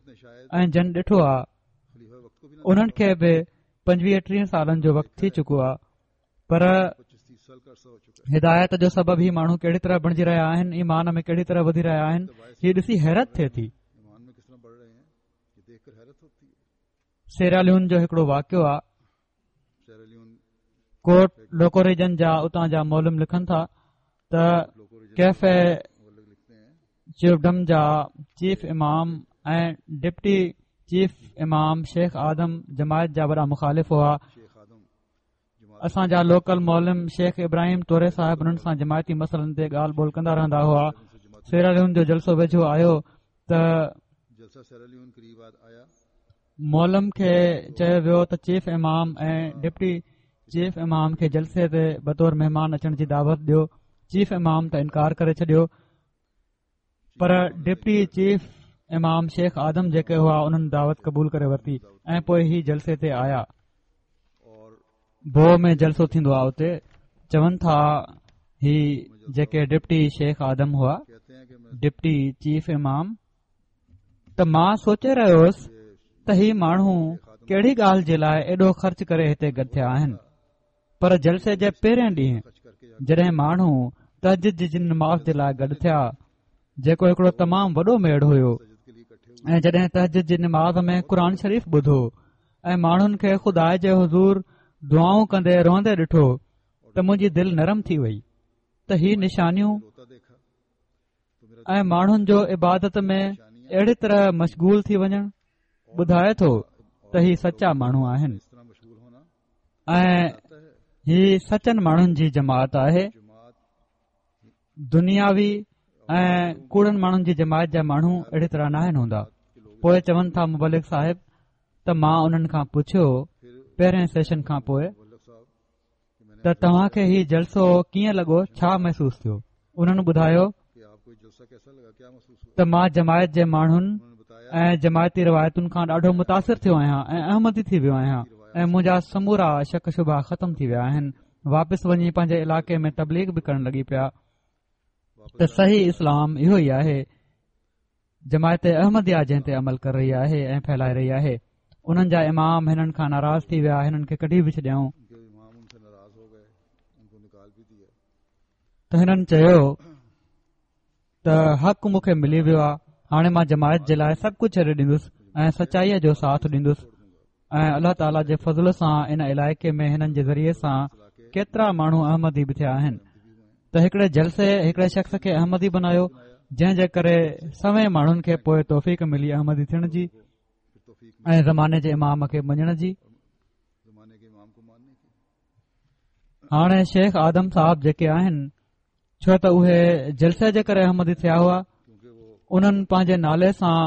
۽ جن ڏٺو آهي انهن کي به 25 30 سالن جو وقت ٿي چڪو آهي پر هدايت جو سبب هي ماڻهو ڪهڙي طرح بڻجي رهيا آهن ايمان ۾ ڪهڙي طرح وڌي رهيا آهن هي ڏسي حيرت ٿئي ٿي. سيراليون جو هڪڙو واقعو آهي ڪوٽ لوڪوريجن جا اتان جا معلم لکن ٿا ته ڪيفي چيفڊم جا چيف امام ۽ ڊپٽي چيف امام شيخ آدم جماعت جا وڏا مخالف هئا. اسان جا لوڪل معلم شيخ ابراهيم توري صاحب انهن سان جماعتي مسئلن تي ڳالهه ٻولهه ڪندا رهندا هئا. سيراليون جو جلسو ويجهو آيو ته معلم کي چيو ويو ته چيف امام ۽ ڊپٽي چيف امام کي جلسي تي بطور مهمان اچڻ جي دعوت ڏيو. چيف امام ته انڪار ڪري ڇڏيو پر ڊپٽي چيف امام شيخ آدم جيڪي هئا انهن دعوت قبول ڪري ورتي ۽ پوء هي جلسي تي آيا. بو ۾ جلسو ٿيندو آهي اتي چون ٿا هي جيڪي ڊپٽي شيخ آدم هئا ڊپٽي چيف امام ته مان سوچي رهيو هوس ته هي ماڻهو ڪهڙي ڳالهه جي لاء ايڏو خرچ ڪري هتي گڏ ٿيا آهن پر جلسي جي پهرين ڏينهن جڏهن ماڻهو تهجد جي نماز جي لاء گڏ ٿيا جيڪو هڪڙو تمام وڏو ميڙ هيو ۽ جڏهن تهجد جي نماز ۾ قرآن شريف ٻڌو ۽ ماڻهن کي خدا جي حضور دعائون ڪندي روئندي ڏٺو ته منهنجي دل نرم ٿي وئي ته هي نشانيون ۽ ماڻهن جو عبادت ۾ اهڙي طرح مشغول ٿي وڃڻ ٻڌائي ٿو ته هي سچا ماڻهو آهن ۽ هي سچن ماڻهن جي جماعت آهي. دنياوي ۽ ڪوڙن ماڻهن جي جماعت جا ماڻهو اهڙي طرح ناهن هوندا. پوء چون ٿا مبلغ صاحب ته مان انهن کان پڇيو پهرين سيشن کان پوء ته توهان کي هي جلسو ڪيئن لڳو ڇا محسوس ٿيو؟ انهن ٻڌايو ته مان جماعت جي ماڻهن ۽ جماعتي روايتن کان ڏاڍو متاثر ٿيو آهيان ۽ احمدي ٿي ويو آهيان ۽ منهنجا سمورا شڪ شبها ختم ٿي ويا آهن. واپس وڃي پنهنجي علائقي ۾ تبليغ به ڪرڻ لڳي پيا ته صحيح اسلام اهو ئي آهي. جماعت احمديه جنهن تي عمل ڪري رهي آهي ۽ ڦهلائي رهي آهي. انهن جا امام هنن کان ناراض ٿي ويا هنن کي ڪڍي به ڇڏيائون. ته هنن چيو ته حق مون کي ملي ويو آهي هاڻي مان جماعت جي لاء سڀ ڪجهه ڇڏي ڏيندس ۽ سچائيء جو ساٿ ڏيندس ۽ الله تعاليٰ جي فضل سان ان علائقي ۾ هنن جي ذريعي سان ڪيترا ماڻهو احمدي به ٿيا آهن ته هڪڙي جلسي هڪڙي شخص کي احمدي بنايو جنهن جي ڪري سوين ماڻهن کي پوء توفيق ملي احمدي ٿيڻ جي ۽ زماني جي امام کي مڃڻ جي. هاڻي شيخ آدم صاحب جيڪي آهن ڇو ته اهي جلسي جي ڪري احمدي ٿيا هئا انهن پنهنجي نالي سان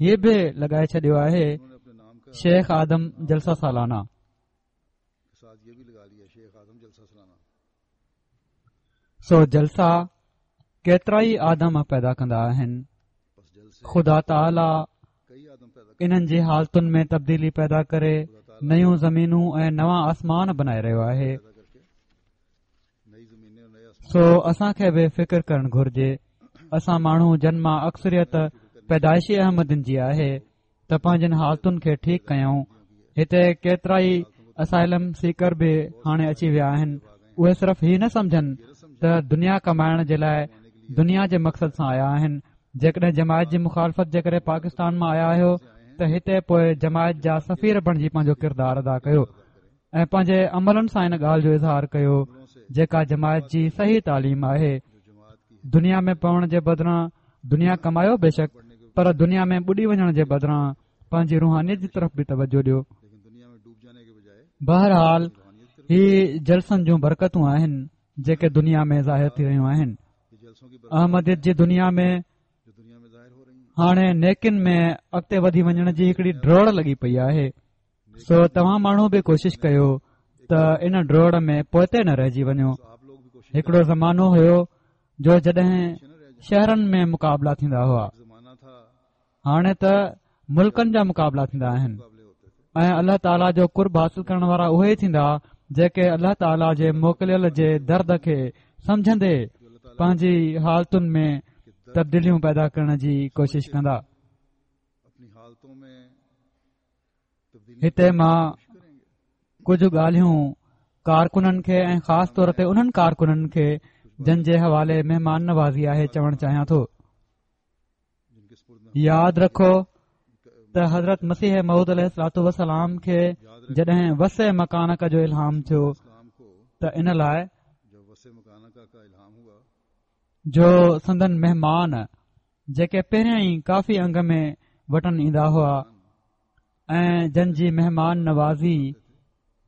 هي به لڳائي ڇڏيو آهي شيخ آدم جلسه سالانه. سو جلسا ڪيترائي آدم پيدا ڪندا آهن. خدا تعاليٰ انهن جي حالتن ۾ تبديلي پيدا ڪري نيون زمينون ۽ نوان آسمان بنائي رهيو آهي. سو اسان کي به فڪر ڪرڻ گهرجي. اسان ماڻهو جن مان اڪثريت پيدائشي احمدين جي آهي ته پنهنجن حالتن کي ٺيڪ ڪيون. هتي ڪيترائي اسائلم سيڪر به هاڻي اچي ويا آهن اهي صرف هي نه سمجهن ته دنيا ڪمائڻ جي لاء دنيا جي مقصد سان آيا آهن جيڪڏهن جماعت جي مخالفت جي ڪري پاڪستان مان آيا آهيو ته هتي پوء جماعت جا سفير بڻجي پنهنجو ڪردار ادا ڪيو ۽ پنهنجي عملن سان ان ڳالهه جو اظهار ڪيو جيڪا جماعت جي صحيح تعليم آهي دنيا ۾ پوڻ جي بدران دنيا ڪمايو بيشڪ پر دنيا ۾ ٻڏي وڃڻ جي بدران پنهنجي روحانيت جي طرف به توجه ڏيو بهرحال هي جلسن جون برڪتون آهن جيڪي دنيا ۾ ظاهر ٿي رهيون آهن احمديت جي دنيا ۾ هاڻي نيڪين ۾ اڳتي وڌي وڃڻ جي هڪڙي ڊوڙ لڳي پئي آهي سو توهان ماڻهو به ڪوشش ڪيو ته ان ڊوڙ ۾ پوئتي نه رهجي وڃو هڪڙو زمانو هيو جو جڏهن شهرن ۾ مقابلا ٿيندا هئا هاڻي ته ملڪن جا مقابلا ٿيندا آهن ۽ الله تعاليٰ جو قرب حاصل ڪرڻ وارا اهي ئي ٿيندا جيڪي الله تعاليٰ جي موڪليل جي درد کي سمجهندي پنهنجي حالتن ۾ تبديليون پيدا ڪرڻ جي ڪوشش ڪندا هتي مان ڪجهه ڳالهيون ڪارڪنن کي ۽ خاص طور تي انهن ڪارڪنن کي جن جي حوالي مهمان نوازي آهي چوڻ چاهيان ٿو ياد رکو ته حضرت مسيح موعود عليه الصلوٰة والسلام کي جڏهن وسع مڪانڪ جو الهام ٿيو ته ان لاء جو سندن مهمان جيڪي پهريان ئي ڪافي انگ ۾ وٽن ايندا هئا ۽ جن جي مهمان نوازي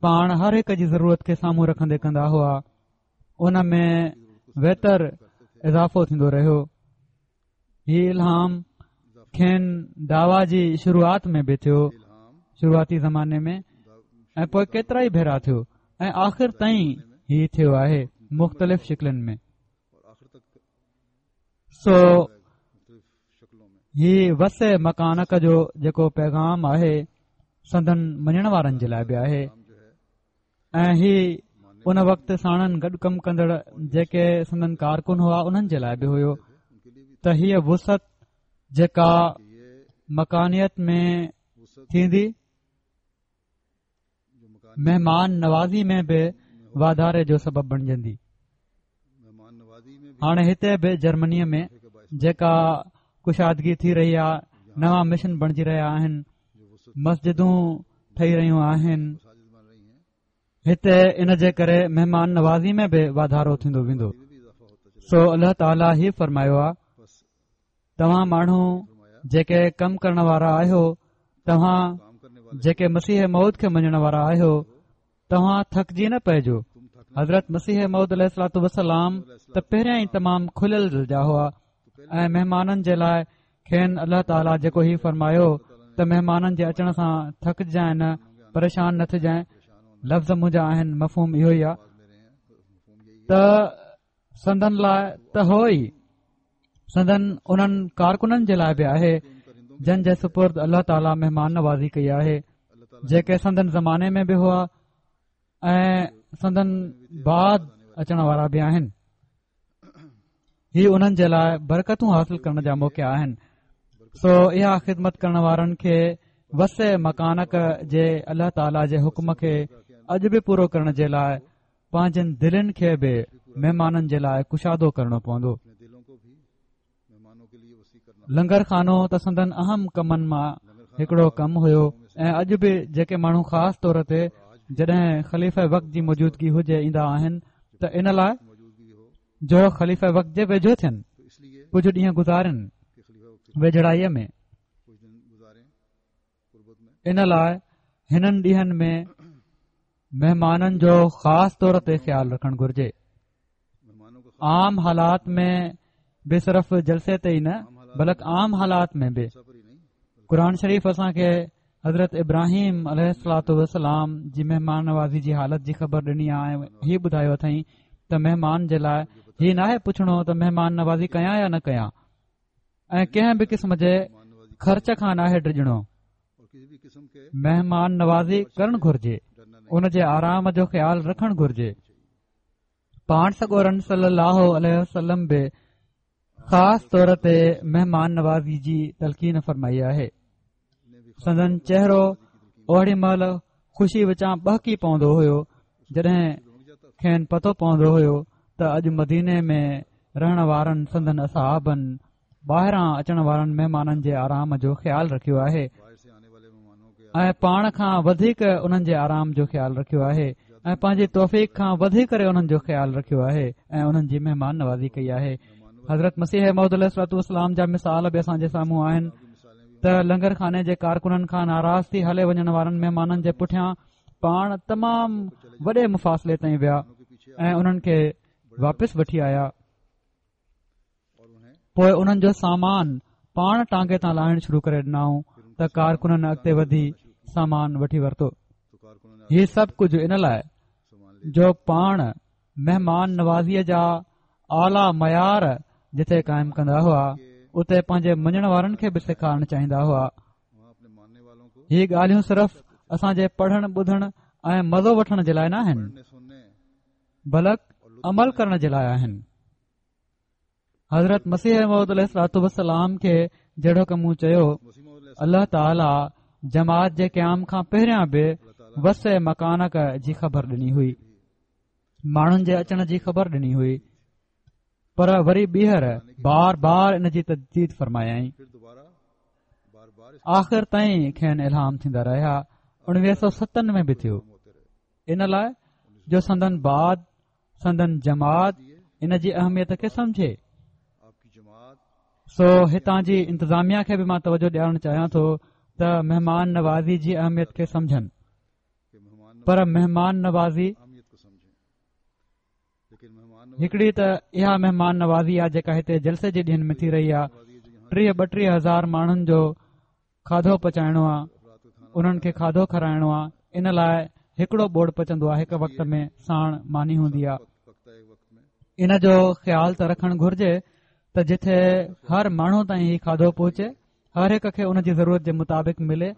پاڻ هر هڪ جي ضرورت کي سامهون رکندي ڪندا هئا ان ۾ ويتر اضافو ٿيندو رهيو هي الهام کين دعويٰ جي شروعات ۾ به ٿيو شروعاتي زماني ۾ ۽ پوء ڪيترا ئي ڀيرا ٿيو ۽ آخر تائين هي ٿيو آهي مختلف شڪلن ۾ سو هي وسع مڪانڪ جو جيڪو پيغام آهي سندن مڃڻ وارن جي لاء به آهي ۽ هي ان وقت ساڻن گڏ ڪم ڪندڙ جيڪي سندن ڪارڪن هئا انهن جي لاء به هيو ته هيء وسعت جيڪا مڪانيت ۾ ٿيندي مهمان نوازي ۾ به واڌاري جو سبب بڻجندي. هاڻي هتي به جرمنيء ۾ جيڪا ڪشادگي ٿي رهي آهي نوان مشن بڻجي رهيا آهن مسجدون ٺهي رهيون آهن هتي ان جي ڪري مهمان نوازي ۾ به واڌارو ٿيندو ويندو سو الله تعاليٰ هي فرمايو آهي توهان ماڻهو جيڪي ڪم ڪرڻ وارا آهيو توهان جيڪي مسيح موعود کي مڃڻ وارا آهيو توهان ٿڪجي نه پئجو حضرت مسيح موعود عليه الصلوٰة والسلام ته پهريان ئي تمام کليل دل جا هئا ۽ مهمانن جي لاء کين الله تعاليٰ جيڪو هي فرمايو ته مهمانن جي اچڻ سان ٿڪجانء نه پريشان نه ٿجانء لفظ منهنجا آهن مفهوم اهو ئي آهي ته سندن لاء ته هو ئي سندن انهن ڪارڪنن جي لاء به آهي جن جي سپرد الله تعاليٰ مهمان نوازي ڪئي آهي جيڪي سندن زماني ۾ به هئا ۽ سندن بعد اچڻ وارا به آهن هي انهن جي لاء برڪتون حاصل ڪرڻ جا موقعا آهن سو اها خدمت ڪرڻ وارن کي وسع مڪانڪ جي الله تعاليٰ جي حڪم کي اڄ به پورو ڪرڻ جي لاء پنهنجن دلين کي به مهمانن جي لاء ڪشادو ڪرڻو پوندو. لنگر خانو ته سندن اهم ڪمن مان هڪڙو ڪم هيو ۽ اڄ به جيڪي ماڻهو خاص طور تي جڏهن خليفه وقت جي موجودگي هجي ايندا آهن ته ان لاء جو خليفه وقت جي ويجهو ٿين ڪجهه ڏينهن گذارين ويجهڙائيء ۾ ان لاء هنن ڏينهن ۾ مهمانن جو خاص طور تي خيال رکڻ گهرجي عام حالات ۾ به صرف جلسي تي ئي نه بلڪ عام حالات ۾ به قرآن شريف اسان کي حضرت ابراهيم عليه الصلوٰة والسلام جي مهمان نوازي جي حالت جي خبر ڏني آهي ۽ هي ٻڌايو اٿائين ته مهمان جي لاء هي ناهي پڇڻو ته مهمان نوازي ڪيان يا نه ڪيان ۽ ڪنهن به قسم جي خرچ کان ناهي ڊڄڻو مهمان نوازي ڪرڻ گهرجي ان جي آرام جو خيال رکڻ گهرجي پاڻ سڳورن صلي الله عليه وسلم به خاص طور تي مهمان نوازي جي تلقين فرمائي آهي سندن چهرو اوڏي مهل خوشي وچان ٻهڪي پوندو هيو جڏهن کين پتو پوندو هيو ته اڄ مديني ۾ رهڻ وارن سندن اصحابن ٻاهران اچڻ وارن مهمانن جي آرام جو خيال رکيو آهي ۽ پاڻ کان وڌيڪ انهن جي آرام جو خيال رکيو آهي ۽ پنهنجي توفيق کان وڌي ڪري انهن جو خيال رکيو آهي ۽ انهن جي مهمان نوازي ڪئي آهي. حضرت مسيح موعود عليه الصلوة والسلام جا مثال به اسان جي سامهون آهن ته لنگر خاني جي ڪارڪنن کان ناراض ٿي هلي وڃڻ وارن مهمانن جي پٺيان پاڻ تمام وڏي مفاصلي تائين ويا ۽ انهن کي واپس وٺي آيا. پوء انهن جو سامان پاڻ ٽانگي تان لاهڻ شروع ڪري ڏنائون ته ڪارڪنن اڳتي وڌي سامان وٺي ورتو. هي سڀ ڪجهه ان لاء جو پاڻ مهمان نوازيء جا اعليٰ معيار جتي قائم ڪندا هئا اتي پنهنجي مڃڻ وارن کي به سيکارڻ چاهيندا هئا. هي ڳالهيون صرف اسان جي پڙهڻ ٻڌڻ ۽ مزو وٺڻ جي لاء نه آهن بلڪ عمل ڪرڻ جي لاء آهن. حضرت مسيح موعود عليه الصلوة والسلام کي جهڙوڪ مون چيو الله تعاليٰ جماعت جي قيام کان پهريان به وسع مڪانڪ جي خبر ڏني هئي، ماڻهن جي اچڻ جي خبر ڏني هئي، پر وري ٻيهر بار بار ان جي تجديد فرمايائين. آخر تائين کين الهام ٿيندا رهيا. 1907 ۾ به ٿيو، ان لاء جو سندن بعد سندن جماعت ان جي اهميت کي سمجهي. سو هتان جي انتظاميا کي به مان توجه ڏيارڻ چاهيان ٿو ته مهمان نوازي جي اهميت کي سمجهن، پر مهمان نوازي هڪڙي ته اها مهمان نوازي آهي جيڪا هتي جلسي جي ڏينهن ۾ ٿي رهي آهي. 30 32 هزار ماڻهن جو کاڌو پچائڻو آ، انهن کي کاڌو کارائڻو آ، ان لاء هڪڙو ٻوڙ پچندو آ، هڪ وقت ۾ ساڻ ماني هوندي آ. ان جو خيال ته رکڻ گهرجي ته جٿي هر ماڻهو تائين هي کاڌو پهچي، هر هڪ کي ان جي ضرورت جي مطابق ملي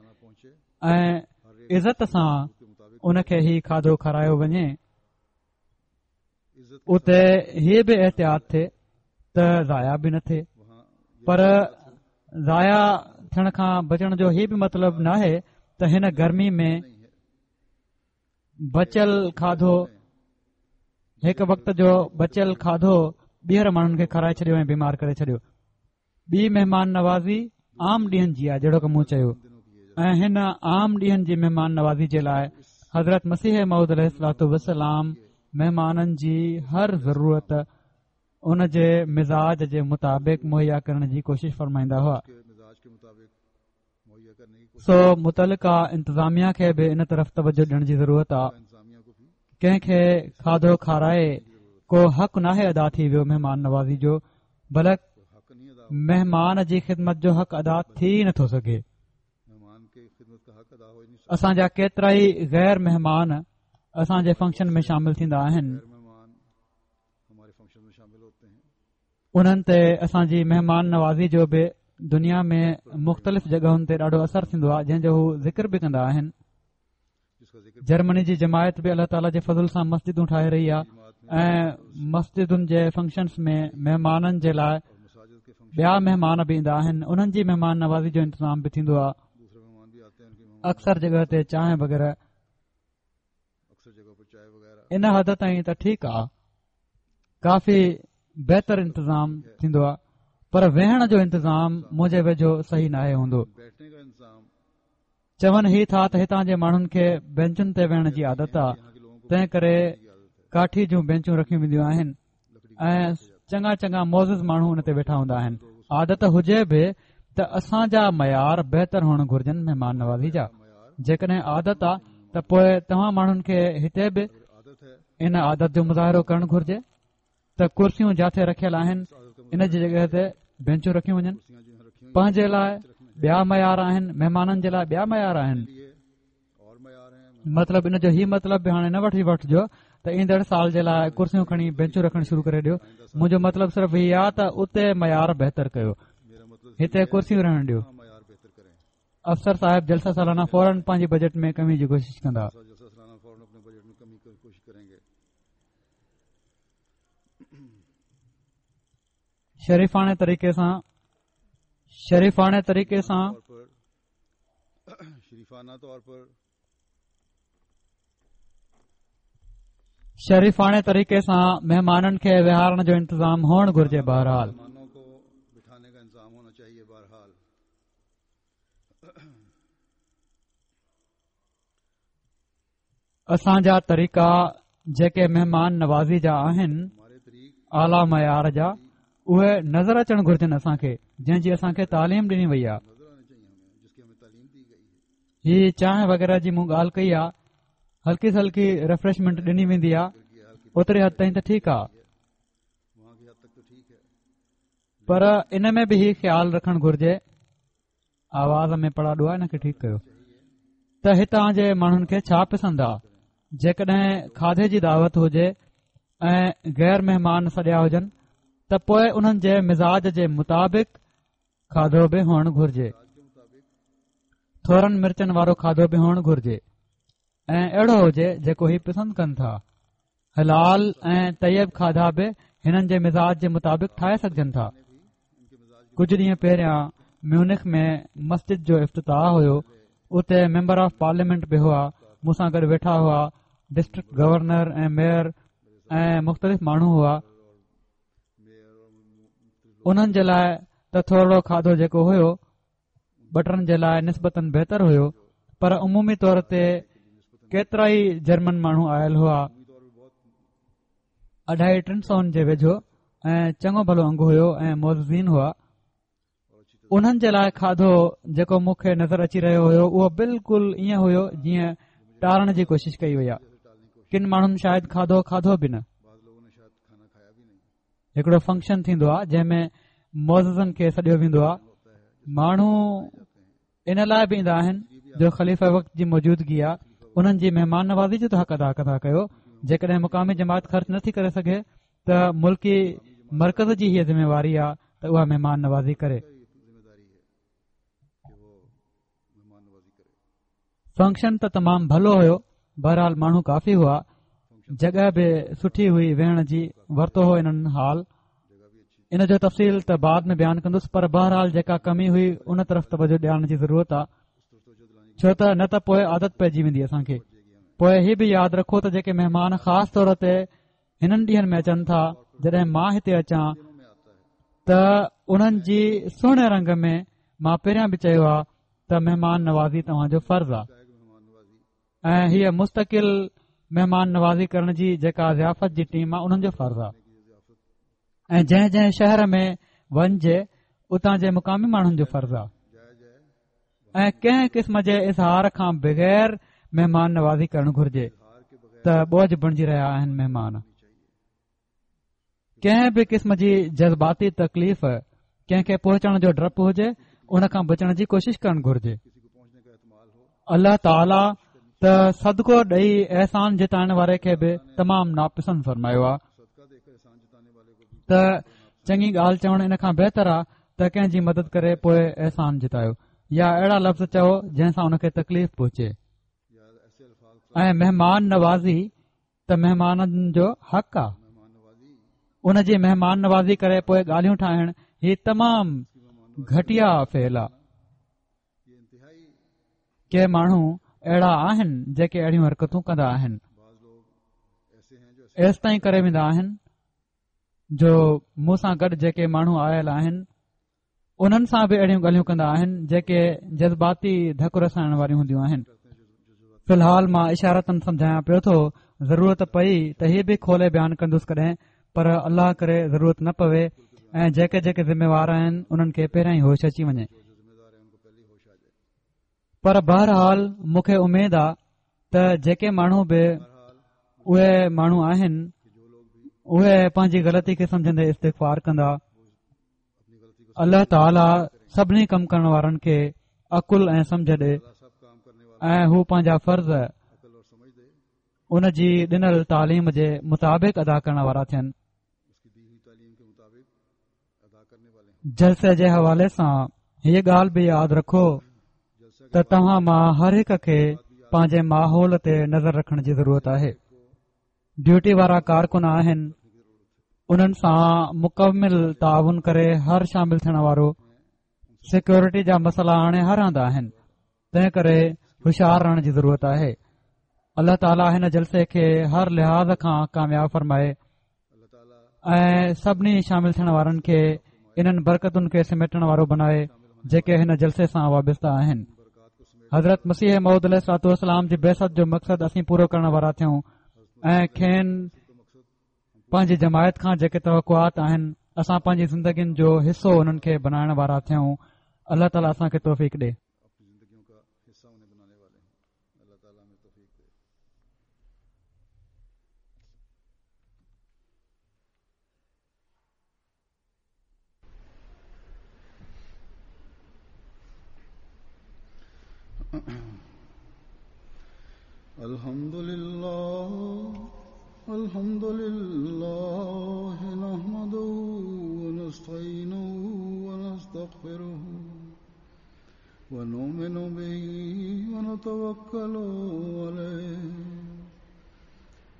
۽ عزت سان ان کي هي کاڌو کارايو وڃي. اتي هي به احتياط ٿئي ته ضايع به نه ٿئي، پر ضايع ٿيڻ کان بچڻ جو هي به مطلب ناهي ته هن گرمي ۾ بچيل کاڌو، هڪ وقت جو بچيل کاڌو ٻيهر ماڻهن کي کارائي ڇڏيو ۽ بيمار ڪري ڇڏيو. ٻي مهمان نوازي عام ڏينهن جي آهي، جهڙوڪ مون چيو، ۽ هن عام ڏينهن جي مهمان نوازي جي لاء حضرت مسيح موعود عليه الصلوة والسلام مهمانن جي هر ضرورت ان جي مزاج جي مطابق مهيا ڪرڻ جي ڪوشش فرمائيندا هئا. سو متعلقه انتظاميا کي به ان طرف توجه ڏيڻ جي ضرورت آ. ڪنهن کي کاڌو کارائي ڪو حق ناهي ادا ٿي ويو مهمان نوازي جو، بلڪ مهمان جي خدمت جو حق ادا ٿي نٿو سگهي. اسان جا ڪيترائي غير مهمان اسان جي فنڪشن ۾ شامل ٿيندا آهن. انهن تي اسان جي مهمان نوازي جو به دنيا ۾ مختلف جڳهن تي ڏاڍو اثر ٿيندو آهي، جنهن جو هو ذڪر به ڪندا آهن. جرمني جي جماعت به الله تعاليٰ جي فضل سان مسجدون ٺاهي رهي آهي ۽ مسجدن جي فنڪشنس ۾ مهمانن جي لاء ٻيا مهمان به ايندا آهن، انهن جي مهمان نوازي جو انتظام به ٿيندو آهي. اڪثر جڳهه تي چانهه وغيره ان حد تائين ته ٺيڪ آ، ڪافي بهتر انتظام ٿيندو آ، پر ويهڻ جو انتظام منهنجي ويجهو صحيح ناهي هوندو. چون هي ٿا ته هتان جي ماڻهن کي بينچن تي ويهڻ جي عادت آ، تنهن ڪري ڪاٺي جون بينچون رکيون وينديون آهن ۽ چڱا چڱا معزز ماڻهو ان تي ويٺا هوندا آهن. عادت هجي به ته اسان جا معيار بهتر هئڻ گهرجن مهمان نوازي جا. جيڪڏهن عادت آ ته پوء توهان ماڻهن کي هتي به ان عادت جو مظاهرو ڪرڻ گهرجي ته ڪرسيون جاٿي رکيل آهن ان جي جڳهه تي بينچون رکيون وڃن. پنهنجي لاء ٻيا معيار آهن، مهمانن جي لاء ٻيا معيار آهن. مطلب ان جو هي مطلب به هاڻي نه وٺي وٺجو ته ايندڙ سال جي لاء ڪرسيون کڻي بينچون رکڻ شروع ڪري ڏيو. منهنجو مطلب صرف هي آ ته اتي معيار بهتر ڪيو، هتي ڪرسيون رهڻ ڏيو. افسر صاحب جلسه سالانه فورن پنهنجي بجيٽ ۾ ڪمي جي ڪوشش ڪندا. شريفاڻي طريقي سان شريفاڻي طريقي سان شريفاڻي طريقي سان مهمانن کي ويهارڻ جو انتظام هئڻ گهرجي بهرحال اسان جا طريقا جيڪي مهمان نوازي جا آهن اعليٰ معيار جا اهي نظر اچڻ گهرجن اسان کي جنهن جي اسان کي تعليم ڏني وئي آهي هي چانهه وغيره جي مون ڳالهه ڪئي آهي هلڪي سلڪي ريفريشمينٽ ڏني ويندي آهي اوتري حد تائين ته ٺيڪ آهي پر ان ۾ به هي خيال رکڻ گهرجي آواز ۾ پڙاڏو آهي ان کي ٺيڪ ڪيو ته هتان جي ماڻهن کي ڇا پسند آ جيڪڏهن کاڌي جي دعوت هجي ۽ غير مهمان سڏيا هجن ته پوء انهن جي مزاج جي مطابق کاڌو به هئڻ گهرجي ٿورن مرچن وارو کاڌو به هئڻ گهرجي ۽ اهڙو هجي جيڪو هي پسند ڪن ٿا حلال ۽ طيب کاڌا به هنن جي مزاج جي مطابق ٺاهي سگهجن ٿا ڪجهه ڏينهن پهريان ميونخ ۾ مسجد جو افتتاح هيو اتي ميمبر آف پارليامينٽ به هئا مون سان گڏ ويٺا هئا ڊسٽرڪٽ گورنر ۽ ميئر ۽ مختلف ماڻهو هئا انهن جي لاء ته ٿورڙو کاڌو جيڪو هيو ٻه ٽن جي لاء نسبتاً بهتر هيو پر عمومي طور تي ڪيترا ئي جرمن ماڻهو آيل هئا اڍائي ٽن سون جي ويجهو ۽ چڱو ڀلو انگ هيو ۽ معززين هئا انهن جي لاء کاڌو جيڪو مون کي نظر اچي رهيو هيو اهو بلڪل ائين هيو جيئن ٽارڻ جي ڪوشش ڪئي وئي آهي ڪن ماڻهن شايد کاڌو کاڌو به نه هڪڙو فنڪشن ٿيندو آهي جنهن ۾ معززن کي سڏيو ويندو آهي ماڻهو ان لاء به ايندا آهن جو خليفه وقت جي موجودگي آهي انهن جي مهمان نوازي جو ته حق ادا ڪندا ڪيو جيڪڏهن مقامي جماعت خرچ نٿي ڪري سگهي ته ملڪي مرڪز جي هيء ذميواري آهي ته اها مهمان نوازي ڪري فنڪشن ته تمام ڀلو هيو بهرحال ماڻهو ڪافي هئا جڳهه به سٺي هئي ويهڻ جي ورتو هو انهن هال ان جو تفصيل ته بعد ۾ بيان ڪندس پر بهرحال جيڪا ڪمي هئي ان طرف توجه ڏيارڻ جي ضرورت آ ڇو ته نه ته پوء عادت پئجي ويندي اسان کي پوء هي به ياد رکو ته جيڪي مهمان خاص طور تي هنن ڏينهن ۾ اچن ٿا جڏهن مان هتي اچان ته انهن جي سهڻي رنگ ۾ مان پهريان به چيو آ ته مهمان نوازي توهان جو فرض آ ۽ هيء مستقل مهمان نوازي ڪرڻ جي جيڪا ضيافت جي ٽيم آ انهن جو فرض آ ۽ جنهن جنهن شهر ۾ وڃجي اتان جي مقامي ماڻهن جو فرض آ ۽ ڪنهن قسم جي اظهار کان بغير مهمان نوازي ڪرڻ گهرجي ته بوجه بڻجي رهيا آهن مهمان ڪنهن به قسم جي جذباتي تڪليف ڪنهن کي پهچڻ جو ڊپ هجي ان کان بچڻ جي ڪوشش ڪرڻ گهرجي الله تعاليٰ ته صدقو ڏئي احسان جتائڻ واري کي به تمام ناپسند فرمايو آ ته چڱي ڳالهه چوڻ ان کان بهتر آ ته ڪنهن جي مدد ڪري پوء احسان جتايو يا اهڙا لفظ چئو جنهن سان ان کي تڪليف پهچي ۽ مهمان نوازي ته مهمانن جو حق آ ان جي مهمان نوازي ڪري پوء ڳالهيون ٺاهڻ هي تمام گهٽيا فعل آ ڪي ماڻهو اهڙا آهن جيڪي اهڙيون حرڪتون ڪندا آهن ايستائين ڪري ويندا آهن جو مون سان گڏ جيڪي ماڻهو آيل آهن انهن سان به اهڙيون ڳالهيون ڪندا آهن جيڪي جذباتي ڌڪ رسائڻ واريون هونديون آهن في الحال مان اشارتاً سمجهايان پيو ٿو ضرورت پئي ته هي به کولي بيان ڪندس ڪڏهن پر الله ڪري ضرورت نه پوي ۽ جيڪي جيڪي ذميوار آهن انهن کي پهريان ئي هوش اچي وڃي پر بهرحال مون کي اميد آ ته جيڪي ماڻهو به اهي ماڻهو آهن اهي پنهنجي غلطي کي سمجهندي استغفار ڪندا الله تعاليٰ سڀني ڪم ڪرڻ وارن کي عقل ۽ سمجه ڏي ۽ هو پنهنجا فرض ان جي ڏنل تعليم جي مطابق ادا ڪرڻ وارا ٿين جلسي جي حوالي سان هيء ڳالهه به ياد رکو ته توهان مان هر هڪ کي پنهنجي ماحول تي نظر رکڻ جي ضرورت آهي ڊيوٽي وارا ڪارڪن آهن انهن سان مڪمل تعاون ڪري هر شامل ٿيڻ وارو سيڪيورٽي جا مسئلا هاڻي هر هنڌ آهن تنهن ڪري هوشيار رهڻ جي ضرورت آهي. الله تعاليٰ هن جلسي کي هر لحاظ کان ڪامياب فرمائي ۽ سڀني شامل ٿيڻ وارن کي انهن برڪتن کي سميٽڻ وارو بنائي جيڪي هن جلسي سان وابسته آهن. حضرت مسيح موعود عليه الصلوة والسلام جي بعثت جو مقصد اسين پورو ڪرڻ وارا ٿيون ۽ کين پنهنجي جماعت کان جيڪي توقعات آهن اسان پنهنجي زندگين جو حصو انهن کي بنائڻ وارا ٿيون. الله تعاليٰ اسان کي توفيق ڏي. الحمد لله الحمد لله نحمده ونستعينه ونستغفره ونؤمن به ونتوكل عليه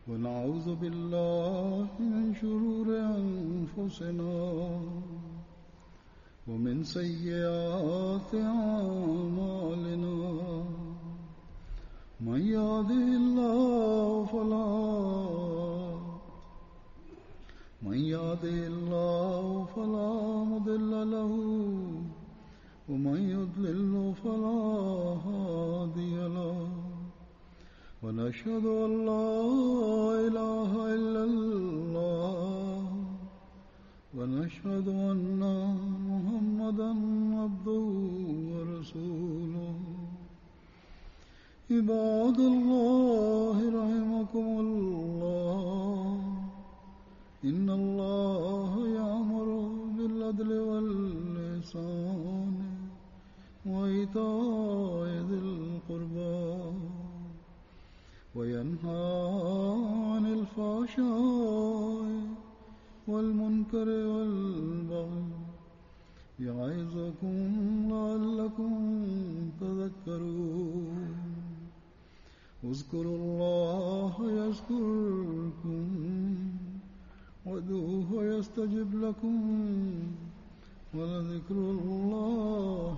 ونعوذ بالله من شرور أنفسنا ومن سيئات أعمالنا من يهده الله فلا من يهده الله فلا مضل له ومن يضلل فلا هادي له ونشهد أن لا إله إلا الله ونشهد أن محمدا عبده ورسوله عباد الله رحمكم الله إن الله يأمر بالعدل والإحسان وإيتاء ذي القربى وينهى عن الفحشاء والمنكر والبغي يعظكم لعلكم تذكرون اذكروا الله يذكركم وادعوه يستجب لكم ولذكر الله